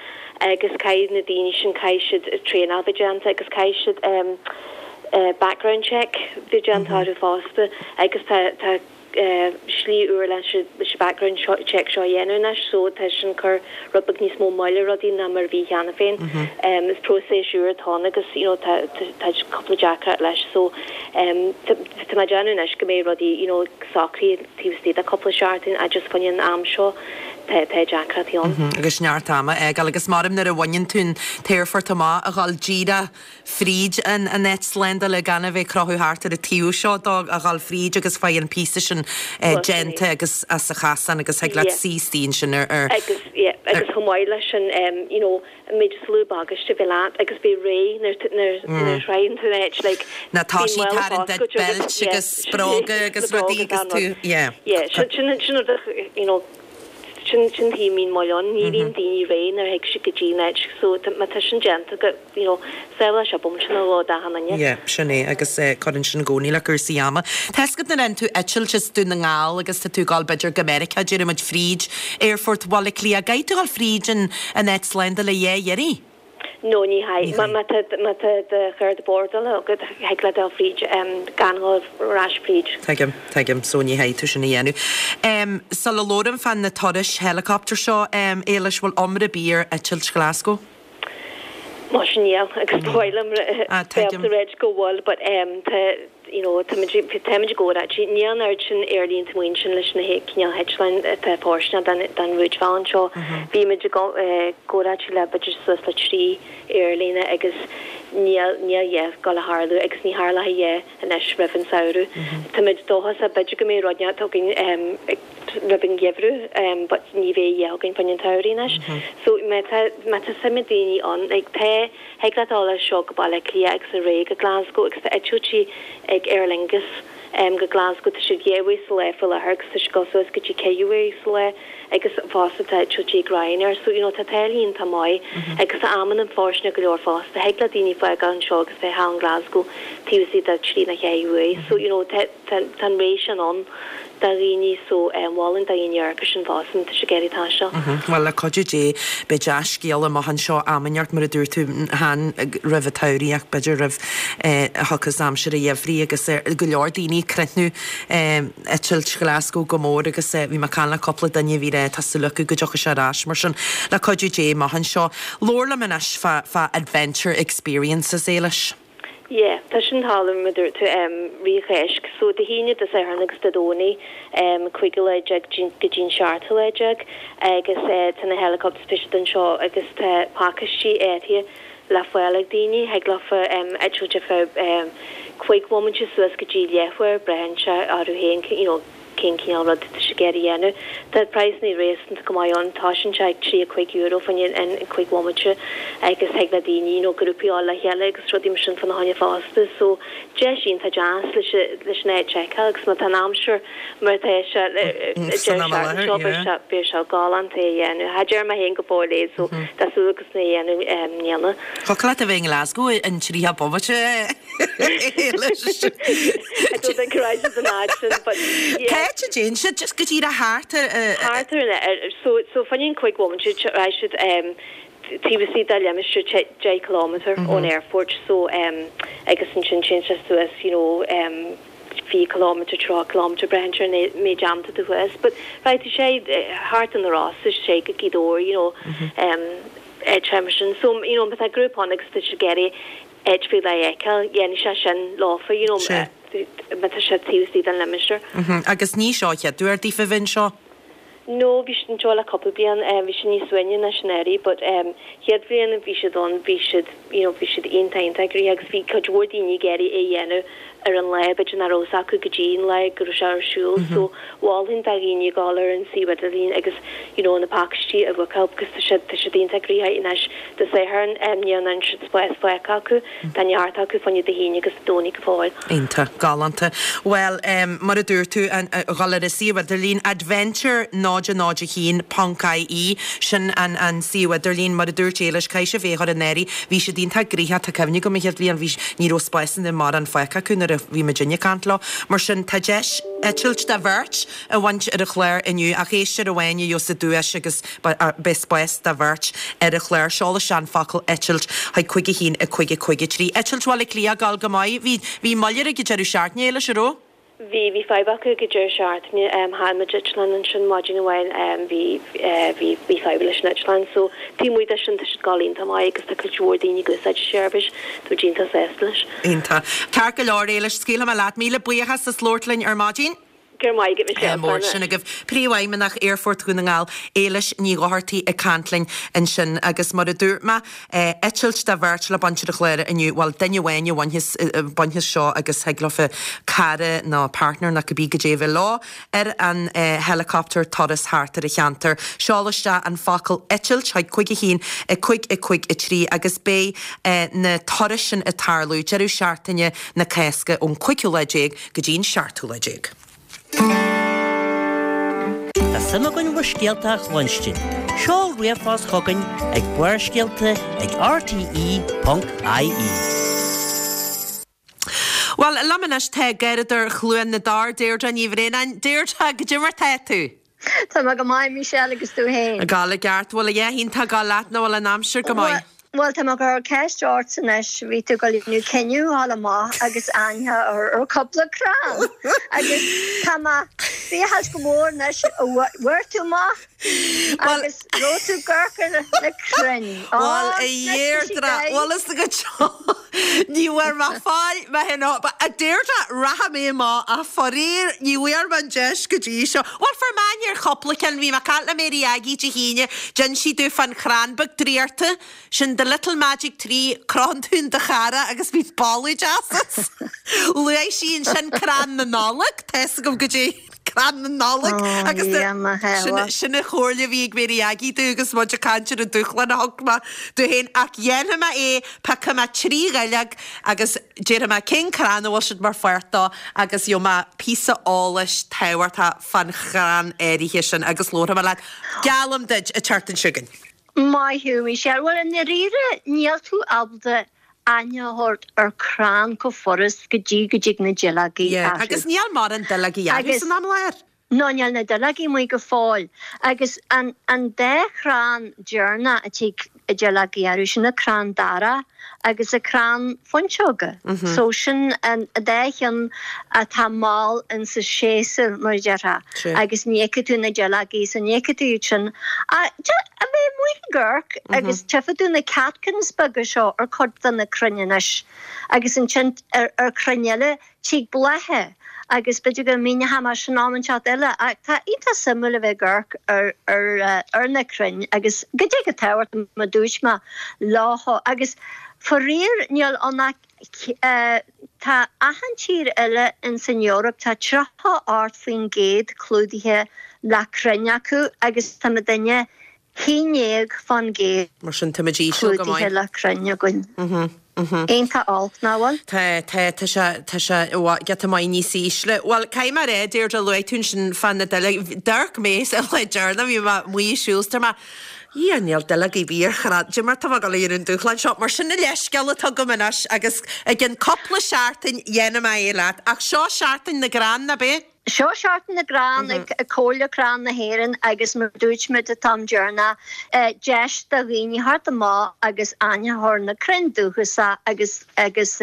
Speaker 7: agus caithfidh na daoine sin, caithfidh siad traenáil bheith déanta agus caithfidh siad background check bheith déanta orthu fosta agus tá, tá slí úr leis leis an background check seo a dhéanamh anois so tá sin ag cur rud beag níos mó moill ar rudaí ná mar a bhí cheana féin. Is próiseas úr atá ann agus you know tá tá cúpla deacracht leis so tá mé ag déanamh anois go mbeidh rudaí you know socraithe taobh istigh de cúpla seachtain ach just faoin am seo tá tá deacrachtaí ann.
Speaker 1: Agus neart ama ag gabháil agus maram nuair a bhaineann tú an t-aerfort amach a ghabháil díreach fríd an an áit slándála gan a bheith ag crochadh thart ar an taobh seo dó a ghabháil fríd agus faigh an píosa sin déanta agus as a chasán agus thig leat suí istigh ansin ar ar
Speaker 7: Agus yeah agus chomh maith leis sin you know an méid is lú bagáiste a bheith leat agus beidh réidh nuair nuair nuair a shroicheann tú an áit like
Speaker 1: Na tá sí tarraingt duit beilt agus bróga agus rudaí agus tú yeah.
Speaker 7: Yeah sin sin sin rud you know sin sin tí mín moll ann ní bhíonn daoine réidh nuair a thig siad go dtí an áit so má tá sin déanta go you know sábháil sé bomaite nó dhó d'achan duine.
Speaker 1: Yeah sin é agus cuireann sin i gcónaí le cúrsaí ama. Tá 'fhios agat nuair a fhaigheann tú eitilt as Dún na nGall agus tá tú ag gabháil b'fhéidir go Meiriceá déarfaidh muid fríd Aerfort Bhaile Átha Cliath, an gcaithfidh tú ghabháil fríd an an áit slándála dhá iarraidh?
Speaker 7: No ní chaithfidh. Má má tá má tá do chárta bordála agat thig leat dul fríd gan dhul ar ais fríd.
Speaker 1: Tuigim, tuigim, so ní chaithfidh tú sin a dhéanamh. Um, sula labhraím fá na turais helicopter seo, um, Éilis, bhfuil iomrá ar bith ar eitilt Glasgow?
Speaker 7: Má sin níl agus ba mhaith liom
Speaker 1: Ah, tuigim.
Speaker 7: bheith réid go bhfuil but um, tá you know táimid táimid ag comhráití níl an oiread sin aerlínte amuigh ansin leis na cineál heitleáin atá fóirsteanach don don rúidbhealach seo. Bhí muid ag comhráití le b'fhéidir suas le trí aerlíne agus níl níl a dhath ag gabháil a tharlú agus ní tharlóidh a dhath anois roimh an samhradh. Táimid dóchasach b'fhéidir go mbeidh rud inteacht againn um, roimh an gheimhreadh um, but ní bheidh a dhath againn faoin an tsamhradh anois. So má tá má tá suim ag daoine ann like tá thig leat dul as seo go Baile Átha Cliath agus ar aghaidh go Glasgow agus tá eitiltí ag Aer Lingus um, go Glasgow tá siad dhá uair sa lá faoi láthair agus tá siad ag dul suas go dtí ceithre uair sa lá agus fosta tá eitiltí ag Ryanair so you know tá táillí iontach maith agus tá amanna fóirsteanach go leor fosta thig le daoine fágáil anseo agus bheith thall in Glasgow taobh istigh de trí nó ceithre uair so you know tá tá tá an rogha sin ann do dhaoine so um, mholfainn do dhaoine amharc air sin fosta tá sé ag iarraidh taisteal.
Speaker 1: Well le cuidiú Dé beidh dea-scéal amach anseo am inteacht mar a dúirt tú chan roimh an tsamhradh ach b'fhéidir roimh a thiocfas aimsir an gheimhridh agus go leor daoine ag críochnú eitilt Glasgow go mór agus bhí mé ag caint le cúpla duine bhí rá tá súil acu go dtiocfaidh sé ar ais mar sin le cuidiú Dé amach anseo. Labhair liom anois fá fá adventure experiences Éilis.
Speaker 7: Yeah, tá sin thálam tú um, rith Cháisc, so Dé hAoine Dé Sathairn agus Dé Domhnaigh um, cúig lá déag go dtí seacht lá déag agus uh, tá na helicopters beidh siad anseo agus tá pacáistí áirithe le fáil ag daoine thig leofa um, eitilt ar feadh um, cúig bhomaite suas go dtí leathuair braitheann sé orthu féin you know, cén cineál rud tá siad ag iarraidh a dhéanamh. Tá praghsanna réasúnta go maith ann tá sin sé ag trí a cúig euro faoin an cúig bhomaite agus thig le daoine nó grúpaí le chéile agus rudaí mar sin fána choinne fosta so deis iontach deas leis leis an áit a fheiceáil agus má tá an aimsir mar tá sé
Speaker 1: san am i láthair,
Speaker 7: bheadh sé galánta é a dhéanamh. Cha dtearn mé féin go fóill é so tá súil agus na dhéanamh mbliana.
Speaker 1: Thiocfadh leat a bheith in Glasgow in tríocha bomaite
Speaker 7: I don't think right an áit sin, but yeah.
Speaker 1: Cá dtéann siad just go dtí a thart
Speaker 7: Thart ar an so so fanann cúig bhomaite raghaidh siad um, taobh istigh de limistéar deich kilometer ón airport so um, agus ansin téann sé suas you know um, fiche kilometer tríocha kilometer braitheann sé an méid am atá thuas but right sé thart an rás sé go Gaoth you know um, áit sin so you know tá grúpa ann agus tá siad ag iarraidh áit faoi leith a fheiceáil dhéanfaidh sé sin leofa you know
Speaker 1: Sé.
Speaker 7: má tá sé taobh istigh den limistéar.
Speaker 1: Agus ní seo an chéad uair daofa bheith anseo.
Speaker 7: No, bhí siad anseo le cúpla bliain um, bhí siad níos uaine ná sin anuraidh, but um, chéad bhliain bhí siad ann bhí siad you know, bhí siad iontach iontach gnoitheach agus bhí cuid mhór daoine ag iarraidh é a dhéanamh ar an lá b'fhéidir nach raibh acu go dtí an lá go raibh sé ar siúl so mholfainn do dhaoine dul ar an suíomh idirlín agus you know, na pacáistí a bhookáil because tá siad tá siad iontach gnoitheach anois Dé Sathairn um, níl an siad spás fágtha acu tá neart acu fá choinne Dé hAoine agus Dé Domhnaigh go fóill.
Speaker 1: Iontach galánta. Well um, mar a dúirt tú an dul ar an suíomh idirlín adventure náid náid a haon ponc IE sin an an suíomh idirlín mar a dúirt Éilis caithfidh sibh é chur in áirithe bhí siad iontach gnoitheach tá cuimhne agam an chéad bhliain bhí ní raibh spásanna mar an fágtha acu nuair a bhí muid ag caint leo mar sin tá deis eitilt do bheirt a bhaint ar an chlár inniu ach éisteoir amháin a gheobhas an duais agus beidh spás do bheirt ar an chlár seol isteach an focal eitilt chuig cúig a haon a cúig a cúig a trí. Eitilt Bhaile Átha Cliath ag gabháil go maith bhí bhí moill ag deireadh seachtaine Éilis an raibh?
Speaker 7: Bhí bhí fadhb acu ag an deireadh seachtaine chaill muid eitleán ansin maidin amháin bhí bhí bhí fadhb leis an eitleán so taobh amuigh de sin tá siad ag dul iontach maith agus tá cuid mhór daoine ag úsáid an seirbhís tá muid iontach sásta leis.
Speaker 1: Iontach. Ceart go leor Éilis, scaoilfidh mé leat. Míle buíochas as labhairt linn ar maidin.
Speaker 7: Go raibh maith agat Michelle.
Speaker 1: Mór sin agaibh. Príomhfheidhmeannach Aerfort Dhún na nGall, Éilis Ní Dhochartaigh ag caint linn ansin agus mar a dúirt mé, eitilt do bheirt le baint ar an chlár inniu, bhuel duine amháin a bhainfeas bainfeas seo agus thig leofa cara nó partner nó cibé goidé a bheith leo ar an helicopter turas thart ar an cheantar. Seol isteach an focal eitilt chuig cúig a haon a cúig a cúig a trí agus beidh na turais sin ag tarlú deireadh seachtaine na Cásca ón cúigiú lá déag go dtí an seachtú lá déag.
Speaker 5: Tá suim againn bhur scéalta a chluinstin. Seol ríomhphost chugainn ag Barrscéalta ag rte ponc ie.
Speaker 1: Bhuel, liom anois tá Garradóir Chluain na dTor, Deirdre Ní Bhraonáin. Deirdre, goidé mar tá tú?
Speaker 8: Tá mé go maith Michelle agus tú féin.
Speaker 1: Ag gabháil i gceart, bhfuil a dhath iontach ag gabháil leat nó bhfuil an aimsir go maith?
Speaker 8: Bhuel tá mé ag cur ceist ort anois, bhí tú ag déanamh cinneadh a ghabháil amach agus aithne a chur ar cúpla crann agus tá mé ag féachaint go mór anois bhfuair tú amach agus raibh tú ag amharc ar na crainn.
Speaker 1: Bhuel a Dheirdre, bhuel is go ní bhfuair mé fáil mé féin a Deirdre rachaidh mé amach ach faraor ní bhfuair mé an deis go dtí seo. Bhuel fuair mé aithne ar chúpla ceann, bhí mé ag caint le Mary Aggie Dé hAoine, d'inis sí domh fán chrann beag draíochta sin the little magic tree crochann tú in do chara agus bíonn boladh deas as. Luaigh sí ansin crann na Nollag, tá fhios agam goidé crann na Nollag agus sin an chomhairle a bhí ag Mary Aggie domh agus muid ag caint ar an dúshlán a thug mé domh féin ach dhéanfaidh mé é, piocfaidh mé trí dhuilleog agus déarfaidh mé cén crann a bhfuil siad mar pháirt dó agus gheobhaidh mé píosa eolais tábhachtach fán chrann áirithe sin agus labharfaidh mé leat. Geallaim duit an tseachtain seo chugainn.
Speaker 8: Maith thú, Michelle. Bhuel, i ndáiríre, níl tú ábalta aithne a thabhairt ar chrann chomh furast go dtí go dtig na duilleogaí
Speaker 1: Yeah,
Speaker 8: orthu.
Speaker 1: agus níl mórán duilleogaí orthu san am i láthair.
Speaker 8: No, níl na duilleogaí amuigh go fóill. Agus an, an dá chrann deireanach a tig na duilleogaí orthu, sin an crann dara agus an crann fuinseoga. So sin an dá cheann atá mall insa séasúr, mar a déarfá, agus ní fheicfidh tú na duilleogaí, so ní fheicfidh tú iad sin. A bheith amuigh ag amharc agus tchífidh tú na catkins beaga seo ar cuid de na crainn anois agus ansin ar ar chrainn eile tig blátha agus b'fhéidir go míneoidh mé sin am inteacht eile ach tá iontach suimiúil a bheith ag amharc ar ar ar na crainn agus goidé chomh tábhachtach mar a dúirt mé leo agus faraor níl ann ach tá achan tír eile ins an Eoraip tá tríocha ocht faoin gcéad clúdaithe le crainn acu agus tá muidinne haon déag fán gcéad
Speaker 1: Mar sin táimid íseal go maith.
Speaker 8: clúdaithe le crainn againn. Iontach olc, nach bhfuil?
Speaker 1: Tá, tá, tá sé, tá sé giota maith níos ísle. Bhuel, caithfidh mé a rá, Deirdre, luaigh tú ansin fá na duilleoga, d'amharc mé sa lá deireanach, bhí mé amuigh ag siúl, is dúirt mé, Dhia, níl duilleog ar bith ar chrann, goidé mar tá mé ag dul a dhéanamh an dúshlán seo, mar sin an leithscéal atá agam anois agus i gcionn cúpla seachtain dhéanfaidh mé é leat. Ach seo Seachtain na gCrann, ab é?
Speaker 8: Seo Seachtain na gCrann ag Comhairle Crann na hÉireann agus mar dúirt muid an t-am deireanach, deis do dhaoine theacht amach agus aithne a chur ar na crainn dúchasacha agus agus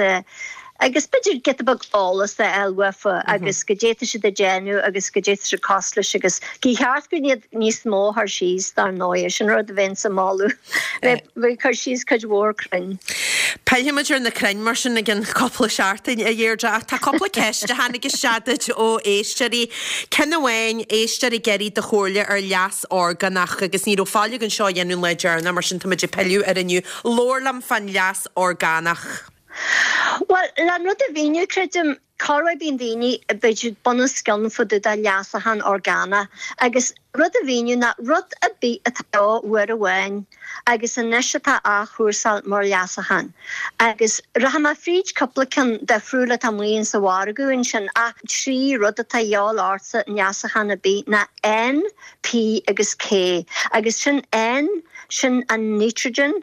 Speaker 8: agus b'fhéidir giota beag eolas a fháil uafa agus goidé tá siad ag déanamh agus goidé tá siad cosúil leis agus gur cheart go iad níos mó a chur síos dar ndóigh, sin rud a bheinn ag moladh bheith cur síos cuid mhór crainn.
Speaker 1: Pillfidh muid ar na crainn mar sin i gcionn cúpla seachtain, a Dheirdre, ach tá cúpla ceist a tháinig isteach duit ó éisteoirí. Ceann amháin, éisteoir ag iarraidh do chomhairle ar leas orgánach agus ní raibh fáil againn seo a dhéanamh an lá deireanach mar sin táimid ag pilleadh air inniu. Labhair liom fán leas orgánach.
Speaker 8: Bhuel, le an rud a mhíniú, creidim, corruair bíonn daoine b'fhéidir bunoscionn fá dtaobh de leasachán orgánach agus rud a mhíniú ná rud ar bith atá beo uair amháin agus anois atá á chúrsáil mar leasachán. Agus rachaidh mé fríd cúpla ceann difriúil atá amuigh insa mhargadh ansin ach trí rud atá a dhíobháil ortsa i leasachán ar bith ná N, P agus K. Agus sin N, sin an nitrogen,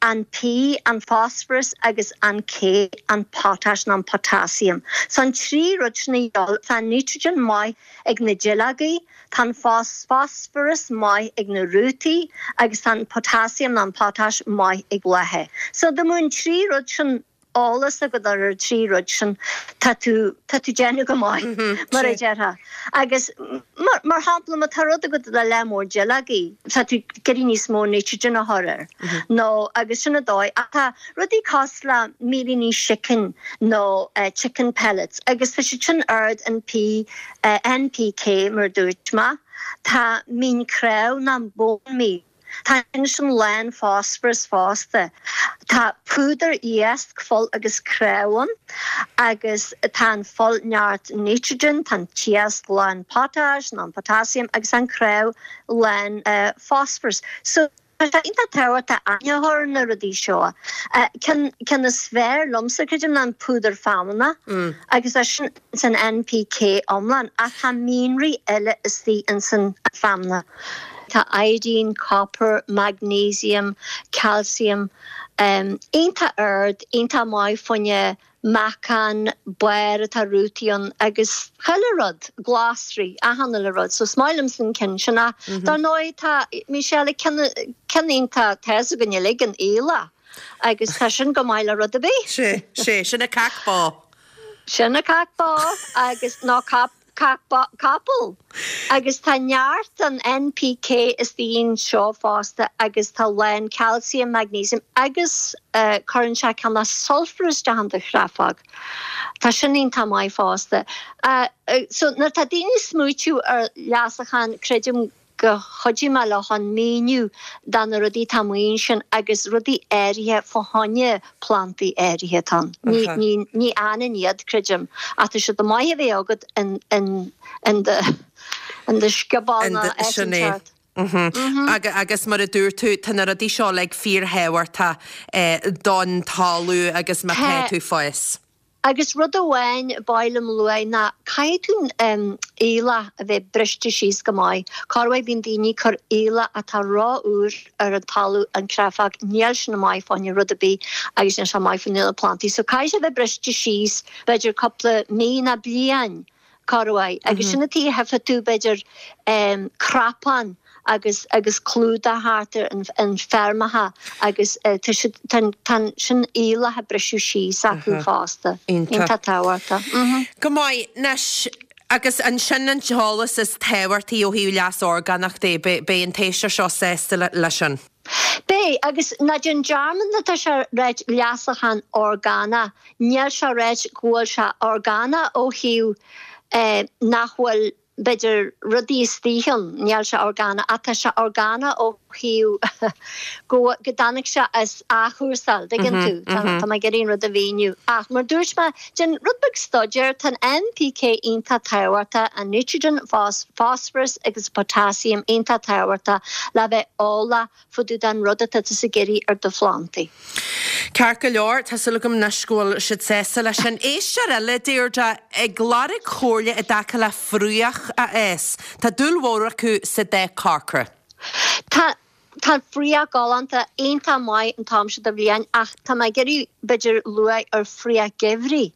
Speaker 8: an P, an phosphorus, agus an K, an potash nó an potassium. So an trí rud sin a dhíobháil, tá an nitrogen maith ag na duilleogaí, tá an phosphorus maith ag na rútaí agus tá an potassium nó an potash maith ag blátha. So dá mbeadh an trí rud sin eolas agat ar an trí rud sin tá tú tá tú déanamh go maith mar a déarfá. Agus mar mar shampla má tá rud agat le lear mór duilleogaí tá tú ag iarraidh níos mó nitrogen a chur air nó agus sin an dóigh ach tá rudaí cosúil le mílíní sicín nó uh, chicken pellets agus tá siad sin ard in P uh, NPK mar dúirt mé tá mín cnámh ná bone meal Tá sin lán phosphorus fosta. Tá púdar iasc fuil agus cnámh ann agus tá an fuil neart nitrogen, tá an t-iasc lán potash, ná potassium agus an cnámh lán uh, phosphorus. So Tá sé iontach tábhachtach aithne a chur ar na rudaí seo. Ceann ceann is fearr liomsa creidim ná an púdar feamainne agus é sin san NPK iomlán ach tá mianraí eile istigh in san feamainn. Tá iodine, copper, magnesium, calcium, um, iontach ard, iontach maith fá choinne meacan, barr atá rútaí ann agus chuile rud, glasraí, achan uile rud, so is maith liomsa an ceann sin ach dar ndóigh tá Michelle ceann iontach tá a fhios againn uilig an aoileach agus tá sin go maith le rud ar bith.
Speaker 1: Sé, sé, sin a cac bá.
Speaker 8: Sin a cac bá agus ná cap capall. Agus tá neart an NPK istigh anseo fosta agus tá lán calcium, magnesium agus uh, cuireann sé cineál sulfur isteach in do chreafóg. Tá sin iontach maith fosta. Uh, uh, so nuair tá daoine smaoitiú ar leasachán creidim go chuidigh mé leo chun míniú do na rudaí atá amuigh ansin agus rudaí áirithe fá choinne plantaí áirithe atá ann. Ní ní ní fhanann iad creidim ach tá siad maith a bheith agat in in in do in do sciobán
Speaker 1: In do- sin é. Mhm. Aga, agus mar a dúirt tú tá na rudaí seo like fíorthábhachtach eh, don talamh agus má tá
Speaker 8: Tá-
Speaker 1: tú fás.
Speaker 8: Agus rud amháin ba mhaith liom a lua ná caithfidh tú um, aoileach a bheith briste síos go maith. Corruair bíonn daoine ag cur aoileach atá ró-úr ar an talamh an chreafóg níl sin maith fá choinne rud ar bith agus níl sé maith fá choinne na plantaí. So caithfidh sé bheith briste síos b'fhéidir cúpla mí nó bliain corruair. Agus sin an tuige a bhfeicfidh tú b'fhéidir um, crapán agus agus clúdach thart ar an, an feirmeacha agus uh, tá siad- tá tá sin aoileach a briseadh síos acu fosta.
Speaker 1: Iontach.
Speaker 8: Iontach tábhachtach. Mhm.
Speaker 1: Go maith anois agus ansin an t-eolas is tábhachtaí ó thaobh leas orgánach de beidh an t-éisteoir seo sásta le leis sin.
Speaker 8: Beidh agus ná déan dearmad nuair atá sé ráite leasachán orgánach, níl sé ráite go bhfuil sé orgánach ó thaobh eh, nach bhfuil b'fhéidir rudaí istigh ann, níl sé orgánach ach tá sé orgánach ó thaobh go go dtáinig sé as athchúrsáil, dtuigeann tú Tá tá mé ag iarraidh an rud a mhíniú. Ach mar dúirt mé déan rud beag staidéir tá NPK iontach tábhachtach an nitrogen phos phosphorus agus potassium iontach tábhachtach le bheith eolach fá dtaobh den rud atá tú ag iarraidh ar do phlantaí.
Speaker 1: Ceart go leor tá súil agam anois go bhfuil siad sásta leis sin. Éisteoir eile Deirdre ag lorg comhairle i dtaca le fraoch a fhás. Tá dúil mhór acu sa dath corcra.
Speaker 8: Tá Tá fraoch galánta iontach maith an t-am seo de bhliain ach tá mé ag iarraidh b'fhéidir lua ar fraoch geimhridh.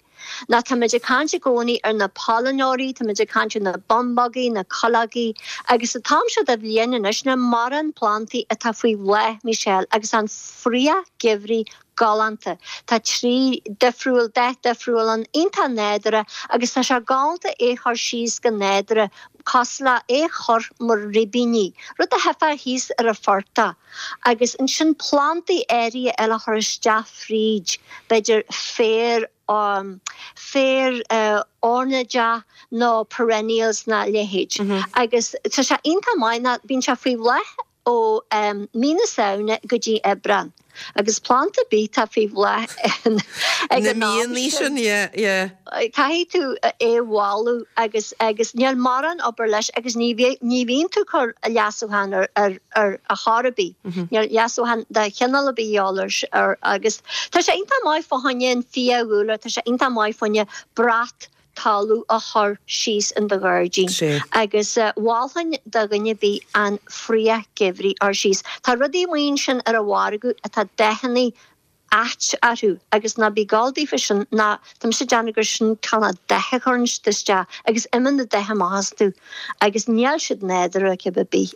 Speaker 8: Ná tá muid ag caint i gcónaí ar na pailneoirí, tá muid ag caint ar na bumbógaí, na cuileogaí, agus an t-am seo de bhliain anois níl mórán plantaí atá faoi bhláth Michelle agus an fraoch geimhridh galánta. Tá trí difriúil dath difriúil ann iontach nádúrtha agus tá sé galánta é chur síos go nádúrtha cosúil le é chur mar ribíní, rud a theifeá thíos ar a phortach. Agus ansin plantaí áirithe eile chur isteach fríd, b'fhéidir féar um, féar uh, ornáideach nó perennials ná leithéid. Mm -hmm. Agus tá sé iontach maith ná bíonn sé faoi bhláth ó um, mí na Samhna go dtí Aibreán. Agus planta bith faoi bhláth ag
Speaker 1: Na
Speaker 8: an am
Speaker 1: míonnaí
Speaker 8: sin.
Speaker 1: sin, yeah, yeah.
Speaker 8: Caithfidh tú é bhailiú agus agus níl mórán obair leis agus ní bhí- ní bhíonn tú chur a leasúchan ar ar ar a chorrabí. Níl leasúchan de chineál ar bith eolais ar agus tá sé iontach maith fá choinne an fiadhúlra, tá sé iontach maith fá choinne brat talamh a chur síos in do ghairdín.
Speaker 1: Sé.
Speaker 8: Agus uh, mholfainn do dhuine ar bith an fraoch geimhridh a chur síos. Tá rudaí amuigh ansin ar an mhargadh atá dathanna ait orthu agus ná bí ag gabháil daofa sin ná tá mise ag déanamh gur sin cineál dath a chuireann siad isteach agus imíonn na dath amach astu agus níl siad nádúrtha cibé ar bith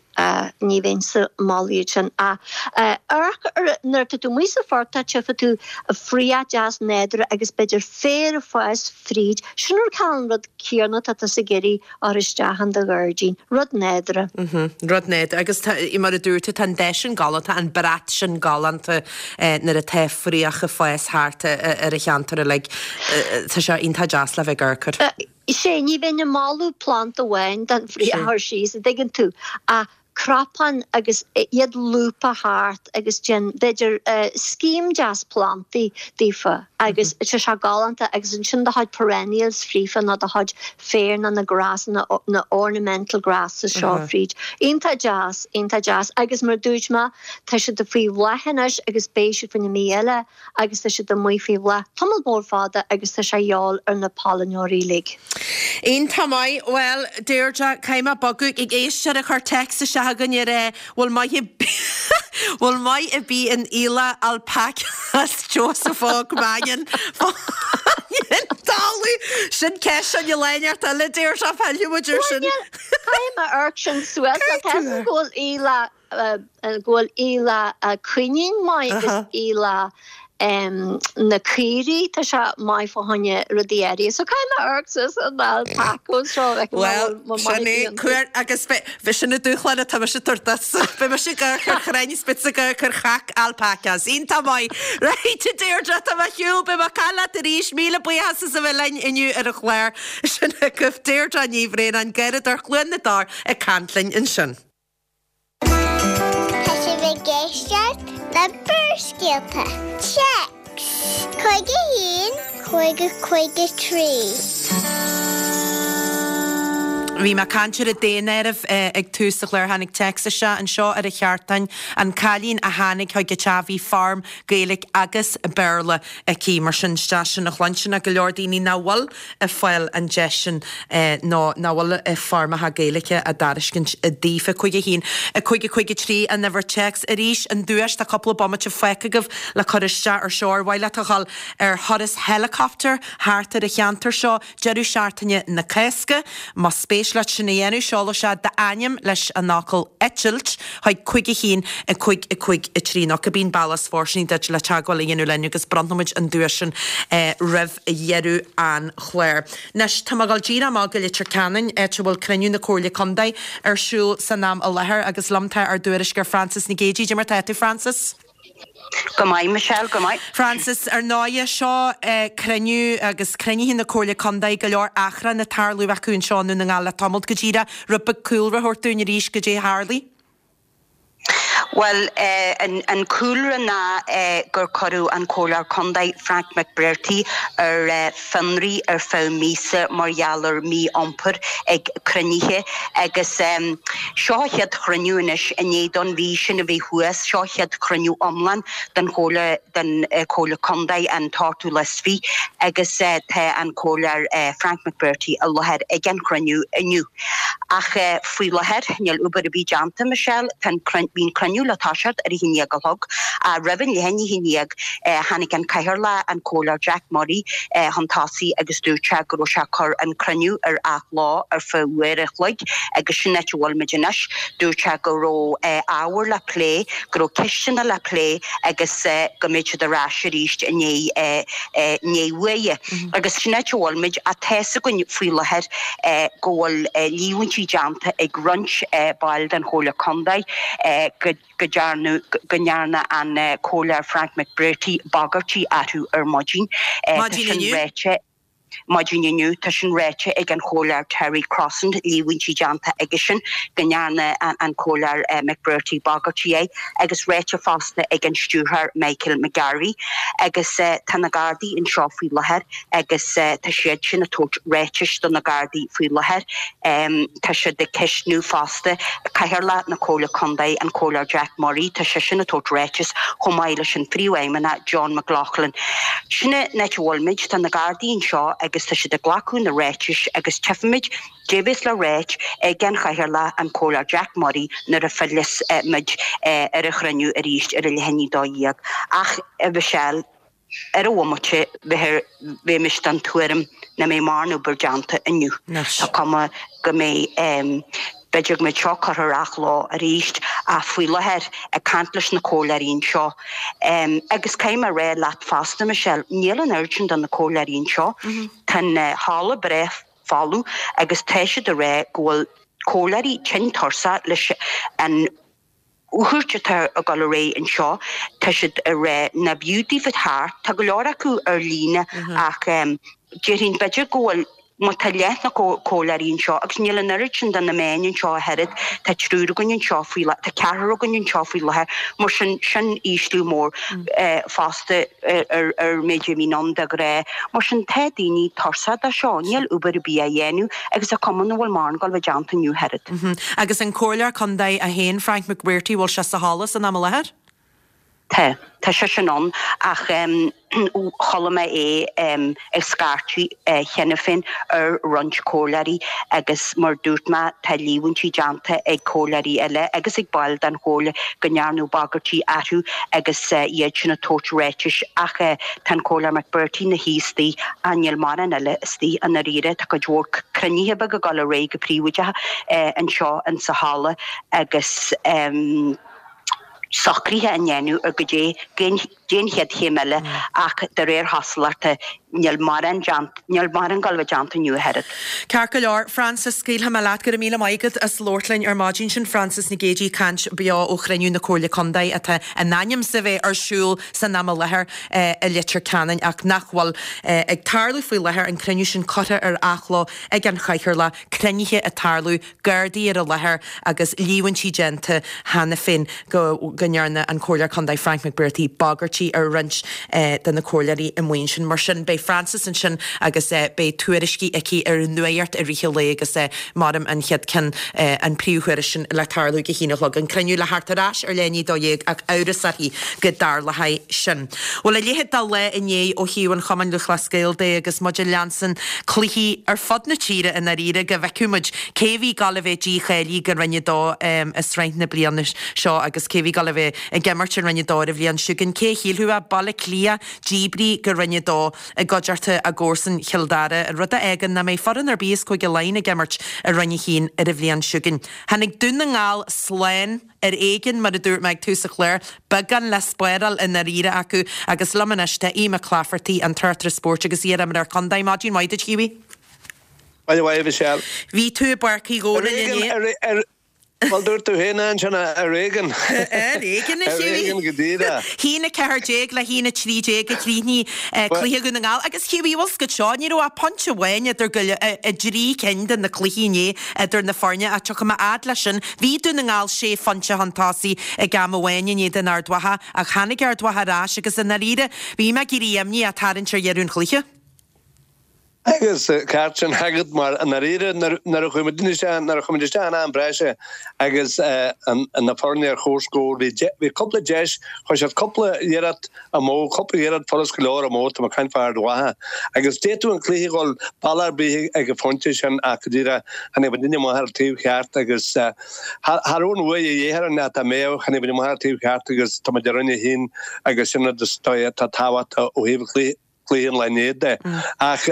Speaker 8: ní bheinnse ag moladh iad sin ach amharc ar nuair atá tú amuigh sa phortach tchífidh tú fraoch deas nádúrtha agus b'fhéidir féar ag fás fríd sin an cineál rud céanna atá tusa ag iarraidh a chur isteach in do ghairdín rud nádúrtha.
Speaker 1: Rud nádúrtha agus tá mar a dúirt tú tá an dath sin galánta an brat sin galánta nuair atá fraoch ag fás thart ar an cheantar uilig. Tá sé iontach deas le bheith ag amharc air.
Speaker 8: Sé, ní bheinn ag moladh planda amháin den fraoch a chur síos, an dtuigeann tú, ach cnapán agus iad lúbtha thart agus déan, b'fhéidir, scéim deas plandaí daofa agus tá sé galánta agus ansin do chuid perennials fríofa nó do chuid féar nó na grasanna, na ornamental grasses seo fríd. Iontach deas, iontach deas agus mar a dúirt mé, tá siad faoi bhláth anois agus beidh siad faoin mí eile agus tá siad amuigh faoi bhláth tamall mór fada agus tá sé a dhíobháil ar na pailneoirí uilig.
Speaker 1: Iontach maith. Bhuel, Deirdre, caithfidh mé bogadh ag éisteoir a chuir téacs isteach againn ar eh, bhfuil maith bhfuil maith ar bith in aoileach alpacas Joseph Óg Mannion talamh. Sin ceist an léineart eile Deirdre, fillfidh muid air sin.
Speaker 8: Caithfidh mé amharc sin suas tá go bhfuil aoileach go bhfuil aoileach coinín maith agus aoileach na caoirigh, tá sé maith fá choinne rudaí áirithe. So caithfidh mé amharc suas an alpacos seo like
Speaker 1: Well, sin é, cuir agus bhí sin na dúshláin atá mise ag tabhairt duit. Beidh mise ag amharc ar chrainn is beidh tusa ag amharc ar chac alpacas. Iontach maith. Right, a Deirdre, tá mé ar shiúl, beidh mé ag caint leat arís. Míle buíochas as a bheith linn inniu ar an chlár. Sin agaibh Deirdre Ní Bhraonáin, Garradóir Chluain na dTor ag caint linn ansin.
Speaker 9: Tá sibh ag éisteacht le Barrscéalta. Téacs cúig a haon, cúig a cúig a trí.
Speaker 1: Bhí mé ag caint ar an daonáireamh ag tús an chláir. Tháinig téacs isteach anseo ar an cheartáin, an cailín a tháinig chuig an teach bhí foirm Gaeilge agus Béarla aici. Mar sin isteach sin a chluinstin ach go leor daoine nach bhfuil ag fáil an deis sin nó nach bhfuil foirmeacha Gaeilge á dtairiscint daofa. Cúig a haon, a cúig a cúig a trí an uimhir téacs. Arís an duais, tá cúpla bomaite fágtha agaibh le cur isteach ar seo. Ar mhaith leat a dhul ar thuras helicopter thart ar an cheantar seo deireadh seachtaine na Cásca? Más spéis leat sin a dhéanamh, seol isteach d'ainm leis an fhocal eitilt chuig cúig a haon, a cúig a cúig a trí nó cibé an bealach is fóirsteanaí duit le teagmháil a dhéanamh linn agus bronnfaimid an duais sin roimh dheireadh an chláir. Anois, tá mé ag dul díreach amach go Leitir Ceanainn, áit a bhfuil cruinniú na Comhairle Contae ar siúl san am i láthair agus liom tá ár dtuairisceoir Frances Nic Géadaigh. Cad é mar tá tú, Frances?
Speaker 10: Go maith, Michelle, go maith.
Speaker 1: Frances, ar ndóighe, seo cruinniú agus cruinnithe na Comhairle Contae, go leor achrann ag tarlú acu anseo i nDún na nGall le tamalt go díreach. Rud beag cúlra a thabhairt dúinn arís goidé a tharlaigh.
Speaker 10: Bhuel, an cúlra ná gur cuireadh an Comhairleoir Contae, Frank McBrearty, ar fionraí ar feadh míosa mar gheall ar mhí-iompar ag cruinnithe agus seo a chéad chruinniú anois i ndiaidh don mhí sin a bheith thuas, seo a chéad chruinniú iomlán den Chomhairle den Chomhairle Contae an t-ochtú lá is fiche agus tá an Comhairleoir Frank McBrearty i láthair ag an chruinniú inniu. Ach faoi láthair níl obair ar bith déanta, Michelle, tá an bhí an cruinniú le toiseacht ar a haon déag a chlog. Roimh an leath i ndiaidh a haon déag tháinig an Cathaoirleach, an Comhairleoir Jack Murray, chun tosaigh agus dúirt sé go raibh sé ag cur an cruinniú ar athló ar feadh uair a chloig agus sin áit a bhfuil muid anois. Dúirt sé go raibh ábhar le plé, go raibh ceisteanna le plé agus go mbeidh siad ar ais arís i ndiaidh uaire. Agus sin áit a bhfuil muid. Ach tá's againn faoi láthair go bhfuil líomhaintí déanta ag roinnt baill den Chomhairle Contae go go ndearnadh go ndearna an Comhairleoir Frank McBrearty bagairtí orthu ar maidin. Tá sin ráite maidin inniu. Tá sin ráite ag an Chomhairleoir Terry Crosland, líomhaintí déanta aigesean go ndearna an Comhairleoir McBrearty bagairtí air agus ráite fosta ag an Stiúrthóir Michael McGarvey. Agus tá na Gardaí anseo faoi láthair agus tá siad sin ag tabhairt ráitis do na Gardaí faoi láthair. Tá siad ag ceistniú fosta Cathaoirleach na Comhairle Contae, an Comhairleoir Jack Murray, tá seisean ag tabhairt ráitis chomh maith leis an Phríomhfheidhmeannach John McLaughlin. Sin an áit a bhfuil muid, tá na Gardaí anseo agus tá siad ag glacadh na ráitis agus tchífimid cad é bheas le ráit ag an Chathaoirleach an Comhairleoir Jack Murray nuair a philleas muid ar an chruinniú arís ar a leath i ndiaidh a dó dhéag. Ach, a Mhichelle, ar an bhomaite bheimis den tuairim nach mbeidh mórán obair déanta inniu. Tá cuma go mbeidh, b'fhéidir go mbeidh seo curtha ar athló arís ach faoi láthair ag caint leis na comhairleoirí anseo agus caithfidh mé a rá leat fosta Michelle, níl an oiread sin de na comhairleoirí anseo. Tá an halla breá folamh agus tá siad ag rá go bhfuil comhairleoirí tinn tuirseach leis an fhuacht atá ag dul ar aghaidh anseo, tá siad ag rá nárbh fhiú daofa theacht, tá go leor acu ar líne ach déarfainn b'fhéidir go bhfuil, má tá leath na comhairleoirí anseo agus níl an oiread sin de na meáin anseo ach oiread, tá triúr againn anseo faoi láthair, tá ceathrar againn anseo faoi láthair, mar sin, sin ísliú mór fosta ar ar méid a bhíonn ann de ghnáth. Mar sin, tá daoine tuirseach de seo, níl obair ar bith á dhéanamh agus tá cuma nach bhfuil mórán ag dul a bheith déanta inniu ach oiread.
Speaker 1: Agus an Comhairleoir Contae é féin, Frank McBrearty, bhfuil sé sa halla san am i láthair?
Speaker 10: Tá, tá seisean ann ach chuala mé é ag scairteadh cheana féin ar roinnt comhairleoirí agus mar dúirt mé tá líomhaintí déanta ag comhairleoirí eile agus ag baill den chomhairle go ndearnadh bagairtí orthu agus iad sin ag tabhairt ráitis ach tá an Comhairleoir McBrearty ina shuí istigh ach níl mórán eile istigh i ndáiríre. Tá cuid mhór cruinnithe beaga ag dul ar aghaidh go príobháideach anseo insa halla agus socruithe á ndéanamh ar goidé cén chéad chéim eile ach de réir chosúlachta níl mórán déanta, níl mórán ag dul a bheith déanta inniu ach oiread.
Speaker 1: Ceart go leor, Frances, scaoilfidh mé leat. Go raibh míle maith agat as labhairt linn ar maidin. Sin Frances Nic Géadaigh ag caint beo ó chruinniú na Comhairle Contae atá in ainm is a bheith ar siúl san am i láthair i Leitir Ceanainn ach nach bhfuil ag tarlú faoi láthair, an cruinniú sin curtha ar athló ag an Chathaoirleach, cruinnithe ag tarlú, Gardaí ar an láthair agus líomhaintí déanta cheana féin go go ndearna an Comhairleoir Contae Frank McBrearty bagairtí ar roinnt de na comhairleoirí amuigh ansin. Mar sin, beidh Frances ansin agus beidh tuairiscí aici ar an nuacht i rith an lae agus maram an chéad ceann, an príomhthuairisc sin le tarlú ag a haon a chlog. An cruinniú le theacht ar ais ar leath i ndiaidh a dó dhéag ach amhras uirthi go dtarlóidh sin. Bhuel, a leithéid de lá inné ó thaobh an Chumainn Lúthchleas Gael de agus muid ag leanstan cluichí ar fud na tíre i ndáiríre go bhfeicfeadh muid cé bhí ag gabháil a bheith dícháilithe go Roinn a Dó i sraith na bliana seo agus cé bhí ag gabháil a bheith ag imirt i Roinn a Dó ar an bhliain seo chugainn. Cé a shílfeadh é? Baile Átha Cliath díbrithe go Roinn a Dó i gcuideachta a gcomharsan Chill Dara, rud a fhágann nach mbeidh foireann ar bith as Cúige Laighean ag imirt i Roinn a hAon ar an bhliain seo chugainn. Tháinig Dún na nGall slán ar éigean, mar a dúirt mé ag tús an chláir, beagán le spáráil i ndáiríre acu agus liom anois tá Aodh Mac Laifeartaigh, an tráchtaire spóirt agus iar-imreoir contae. Maidin mhaith duit, a Hughie.
Speaker 11: Maidin mhaith, a Mhichelle.
Speaker 1: Bhí tú i bPáirc Uí
Speaker 11: Ar
Speaker 1: Dhónaill
Speaker 11: éigean,
Speaker 1: inné.
Speaker 11: ar, ar, bhuel dúirt tú féin ansin, ar éigean.
Speaker 1: Ar éigean, a
Speaker 11: Ar
Speaker 1: Hughie.
Speaker 11: éigean go díreach.
Speaker 1: Haon a ceathair déag le haon a trí déag a chríochnaigh cluiche Dhún na nGall. Agus Hughie, bhfuil 's agat seo, ní raibh ach pointe amháin idir go i dtrí cinn de na cluichí inné idir na foirne ach tiocfaidh mé fhad leis sin. Bhí Dún na nGall sé phointe chun tosaigh ag am amháin in éadan Ard Mhacha ach tháinig Ard Mhacha ar ais agus i ndáiríre bhí mé ag éirí imníoch tarraingt ar dheireadh an chluiche.
Speaker 11: Agus ceart sin agat mar i ndáiríre nuair a chuaigh muid isteach, nuair a chuaigh muid isteach in am breise agus na foirne ar comhscór, bhí bhí cúpla deis, chuir siad cúpla iarracht amú, cúpla iarracht furast go leor amú, tá mé ag caint fá Ard Mhacha. Agus d'fhéadfadh an cluiche dhul bealach ar bith ag an phointe sin ach go díreach tháinig muidinne amach ar an taobh cheart agus cha raibh an bhua de dhíth orainn ach dá mbeadh, tháinig muid amach ar an taobh cheart agus tá muid i Roinn a haon agus sin rud is dóigh atá tábhachtach ó thaobh an chluiche. cluiche an lae inné de. Ach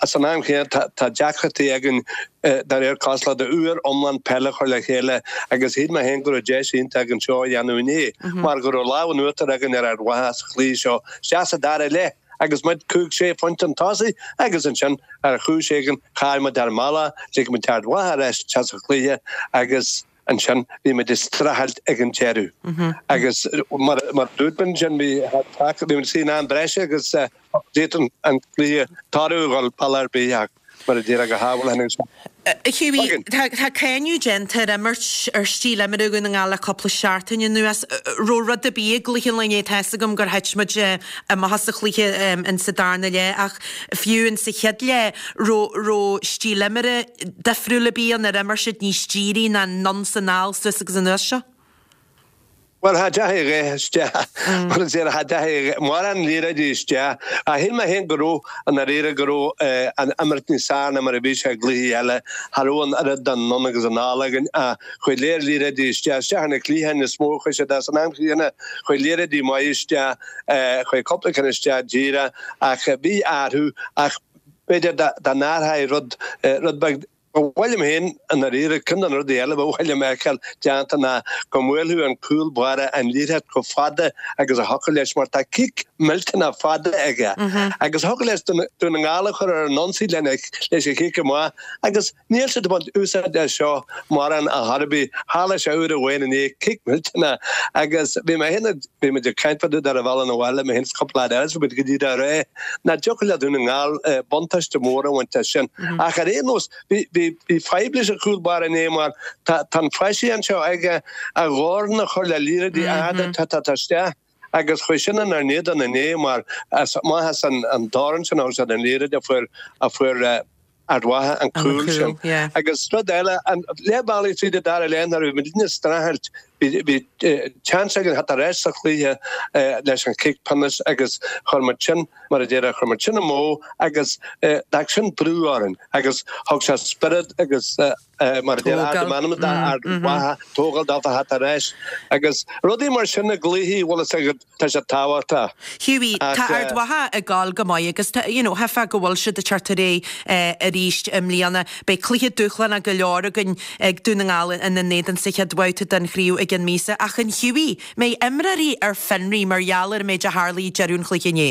Speaker 11: san am chéanna tá deacrachtaí againn de réir cosúlachta uair iomlán peile a chur le chéile agus shíl mé féin go raibh deis iontach againn seo a dhéanamh inné mar go raibh lámh in uachtar againn ar Ard Mhacha sa chluiche seo isteach sa dara leath agus muid cúig sé phointe chun tosaigh agus ansin ar chúis éigin chaill muid ár mbealach, lig muid Ard Mhacha ar ais isteach sa chluiche agus ansin bhí muid ag streachailt ag an deireadh agus mar a dúirt mé ansin bhí bhí muid in am breise agus d'fhéadfadh an cluiche toradh a dhul bealach ar bith ach mar a déarfá go hábhail tháinig sé.
Speaker 1: Hughie, tá tá cáineadh déanta ar imirt ar stíl imeartha Dhún na nGall le cúpla seachtain anuas. Raibh rud ar bith i gcluiche an lae inné, tá 'fhios agam gur thit muid amach as an chluiche in sa darna leath ach fiú in sa chéad leath raibh raibh stíl imeartha difriúil ar bith ann ar imir siad níos dírí ná anonn 's anall suas agus anuas seo?
Speaker 11: Bhuel, cha dteachaigh a dhath isteach, mar a déarfá, cha dteachaigh mórán liathróidí isteach. Ach shíl mé féin go raibh, i ndáiríre, go raibh an imirt níos fearr ná mar a bhí sé i gcluichí eile. Cha raibh an oiread d'anonn agus anall againn ach chuaigh léir liathróidí isteach. Isteach ar na cliatháin is mó a chuaigh siad ach san am chéanna chuaigh liathróidí maithe isteach, chuaigh cúpla ceann isteach díreach ach bhí athrú ach b'fhéidir dá n-athrófaí rud, rud beag. Ba mhaith liom féin, i ndáiríre, ceann de na rudaí eile ba mhaith liom a fheiceáil déanta ná go mbuailfeadh an cúl báire an liathróid chomh fada agus a thiocfadh leis mar tá cic millteanach fada aige agus thiocfadh leis Dún na nGall a chur ar an ionsaí lena leis an chic amach agus níl siad ag baint úsáid as seo mórán ar chor ar bith. Tharla sé uair amháin inné, cic millteanach agus bhí mé féin ag, bhí muid ag caint fá dtaobh de ar an bhealach 'na bhaile, mé féin is cúpla leaid eile is bhí muid go dtí dá ré nach dtiocfadh le Dún na nGall buntáiste mór a bhaint as sin ach ar aon nós bhí Bhí fadhb leis an chúl báire inné mar tá an phaisean seo aige a dhorn a chur le liathróidí arda atá ag teacht isteach agus chuaigh sin inár n-éadan inné mar amach as an dorn sin a thug siad an liathróid a fuair a fuair Ard Mhacha an cúl sin. Agus rud eile, an leath bealaigh tríd an dara leath nuair a bhí muidne ag streachailt bhí seans againn theacht ar ais sa chluiche leis an chic pionóis agus chuir muid sin mar a déarfá, chuir muid sin amú agus d'fhág sin brú orainn agus thug sé spiorad agus mar a déarfá, ardú meanma d'Ard Mhacha, tógáil dófa theacht ar ais agus rudaí mar sin i gcluichí, bhfuil fhios agat, tá sé tábhachtach.
Speaker 1: Hughie, tá Ard Mhacha ag gabháil go maith agus tá, you know, cheapfá go bhfuil siad ag teacht ar aghaidh arís i mbliana. Beidh cluiche dúshlánach go leor againn ag Dún na nGall ina n-éadan sa chéad bhabhta den chraobh i gceann míosa ach an Hughie, mbeidh imreoirí ar fionraí mar gheall ar an méid a tharlaigh ag deireadh an chluiche inné?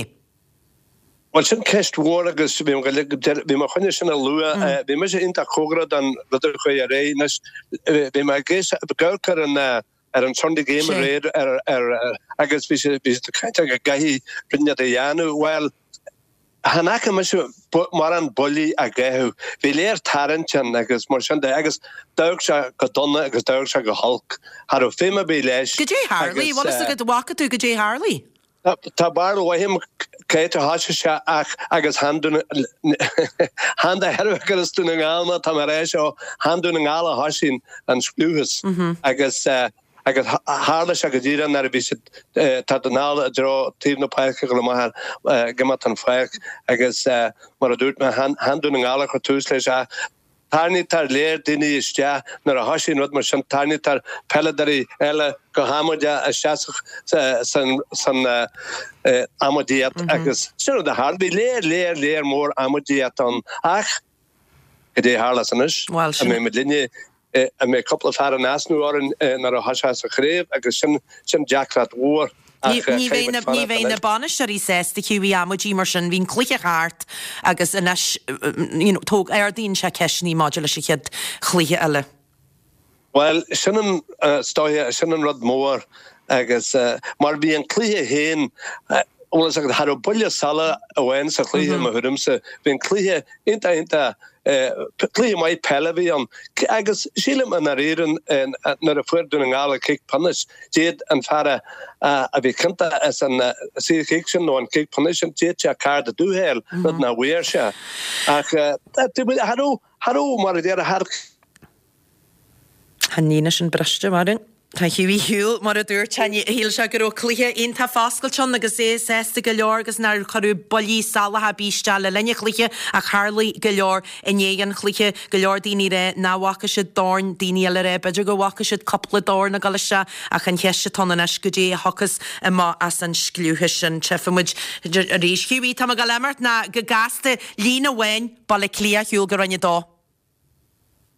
Speaker 11: Bhuel, sin ceist mhór agus bhí bhí mé chun é sin a lua. Bhí mise iontach cóngarach don rud a chuaigh ar aghaidh. Anois, bhí mé ag amharc ar an ar an Sunday Game aréir ar ar agus bhí sé bhí siad ag caint go gcaithfidh rud inteacht a dhéanamh. Bhuel, chan fhaca mise mórán buillí á gcaitheamh. Bhí léir tarraingt ann agus mar sin de agus d'amharc sé go dona agus d'amharc sé go holc. Cha raibh feidhm ar bith leis.
Speaker 1: Goidé tharlaigh? Bhfuil fhios agat, bhfaca tú goidé tharlaigh?
Speaker 11: Tá barúil mhaith agam cá háit a thoisigh sé ach agus chan Dún chan de thairbhe gur as Dún na nGall mé tá mé ag rá seo, chan Dún na nGall a thoisigh an scliúchas agus agus tharla sé go díreach nuair a bhí siad tá Dún na nGall i dtreo taobh na páirce ag dul amach ag imeacht an pháirc agus mar a dúirt mé chan Dún na nGall a chuir tús leis ach Tarraingítear léir daoine isteach nuair a thosaíonn rud mar sin, tarraingítear peileadóirí eile go hamaideach isteach san amaidíocht agus sin rud a tharla. Bhí léir, léir, léir mór amaidíocht ann ach cad é a tharlós anois? An mbeidh muid linne, an mbeidh cúpla fear in easnamh orainn nuair a thoiseos an chraobh agus sin, sin deacracht mhór.
Speaker 1: Ní bheidh na, ní bheidh na bainisteoirí sásta Hughie amaidí mar sin. Bhí an cluiche thart agus anois, you know, tóg, ardaíonn sé ceisteanna maidir leis an chéad chluiche eile.
Speaker 11: Bhuel, sin an, is dóiche, sin an rud mór agus mar bhí an cluiche féin, bhfuil fhios agat, cha raibh buille salach amháin sa chluiche i mo thuairimse. Bhí an cluiche iontach, iontach Cluiche maith peile a bhí ann agus sílim i ndáiríre nuair a fuair Dún na nGall an cic pionóis, d'fhéad an fear a bhí ciontach as an saorchic sin nó an cic pionóis sin, d'fhéad sé cárta dubh a fháil, rud nach bhfuair sé. Ach cha raibh, cha raibh, mar a déarfá,
Speaker 1: Tá an líne sin briste, Máirín. Tá Hughie shiúil, mar a dúirt sé. Shíl sé go raibh cluiche iontach foscailte ann agus é sásta go leor agus nár cuireadh buillí salacha ar bith isteach le linn an chluiche ach tharlaigh go leor i ndiaidh an chluiche. Go leor daoine ag rá nach bhfaca siad dorn, daoine eile ag rá b'fhéidir go bhfaca siad cúpla dorn ag dul isteach ach an cheist atá ann anois goidé a thiocfas amach as an scliúchas sin. Tchífidh muid arís. Hughie, tá mé ag dul imeacht ná go gasta líne amháin Baile Átha Cliath ar shiúl go Roinn a Dó.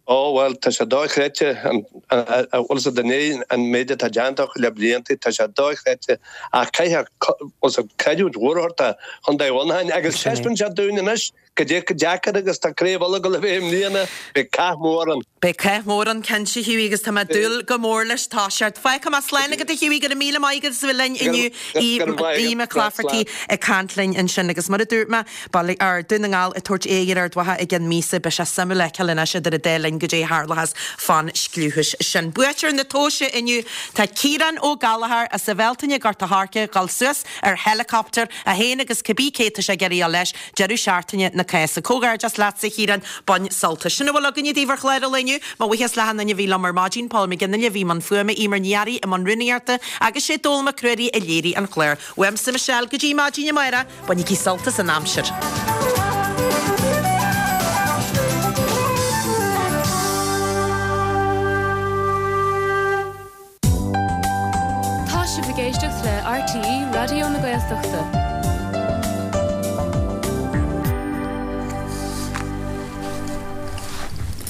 Speaker 11: Ó, bhuel, tá sé dochreidte, bhfuil fhios agat i ndiaidh an méid atá déanta acu le blianta, tá sé dochreidte ach caithfidh, bhfuil fhios agat, creidiúint mhór a thabhairt do Chontae Mhuineacháin agus taispeánann sé dúinn anois goidé chomh deacair agus tá Craobh Uladh ag dul a bheith i mbliana, beidh cath mór ann.
Speaker 1: Beidh cath mór ann cinnte, Hughie, agus tá mé ag dúil go mór leis. Tá sé. Fágfaidh mé slán agat a Hughie, go raibh míle maith agat as a bheith linn inniu, Aodh Mac Laifeartaigh ag caint linn ansin agus mar a dúirt mé, Baile, or, Dún na nGall ag tabhairt aghaidh ar Ard Mhacha i gceann míosa. Beidh sé suimiúil a fheiceáil anois idir an dá linn goidé a tharlóchas fán scliúchas sin. Buaiteoir na tomhaise inniu tá Ciarán Ó Gallchóir as an Bhealtaine, Gort a' Choirce, dhul suas ar helicopter, é féin agus cibí cé atá sé ag iarraidh a dhul leis, deireadh seachtaine na na Cásca. Comhghairdeas leatsa a Chiaráin, bain sult as. Sin a bhfuil againne daoibh ar chlár an lae inniu. Mo bhuíochas le achan duine a bhí liom ar maidin, Paul McGinley a bhí i mbun fuaime, Eimear Ní Fhearraigh i mbun rúnaíochta agus sé Dónall Mac Ruairí a léirigh an clár. Uaimse Michelle go dtí maidin amárach, bainigí sult as an aimsir.
Speaker 12: Tá sibh ag éisteacht le RTÉ Raidió na Gaeltachta.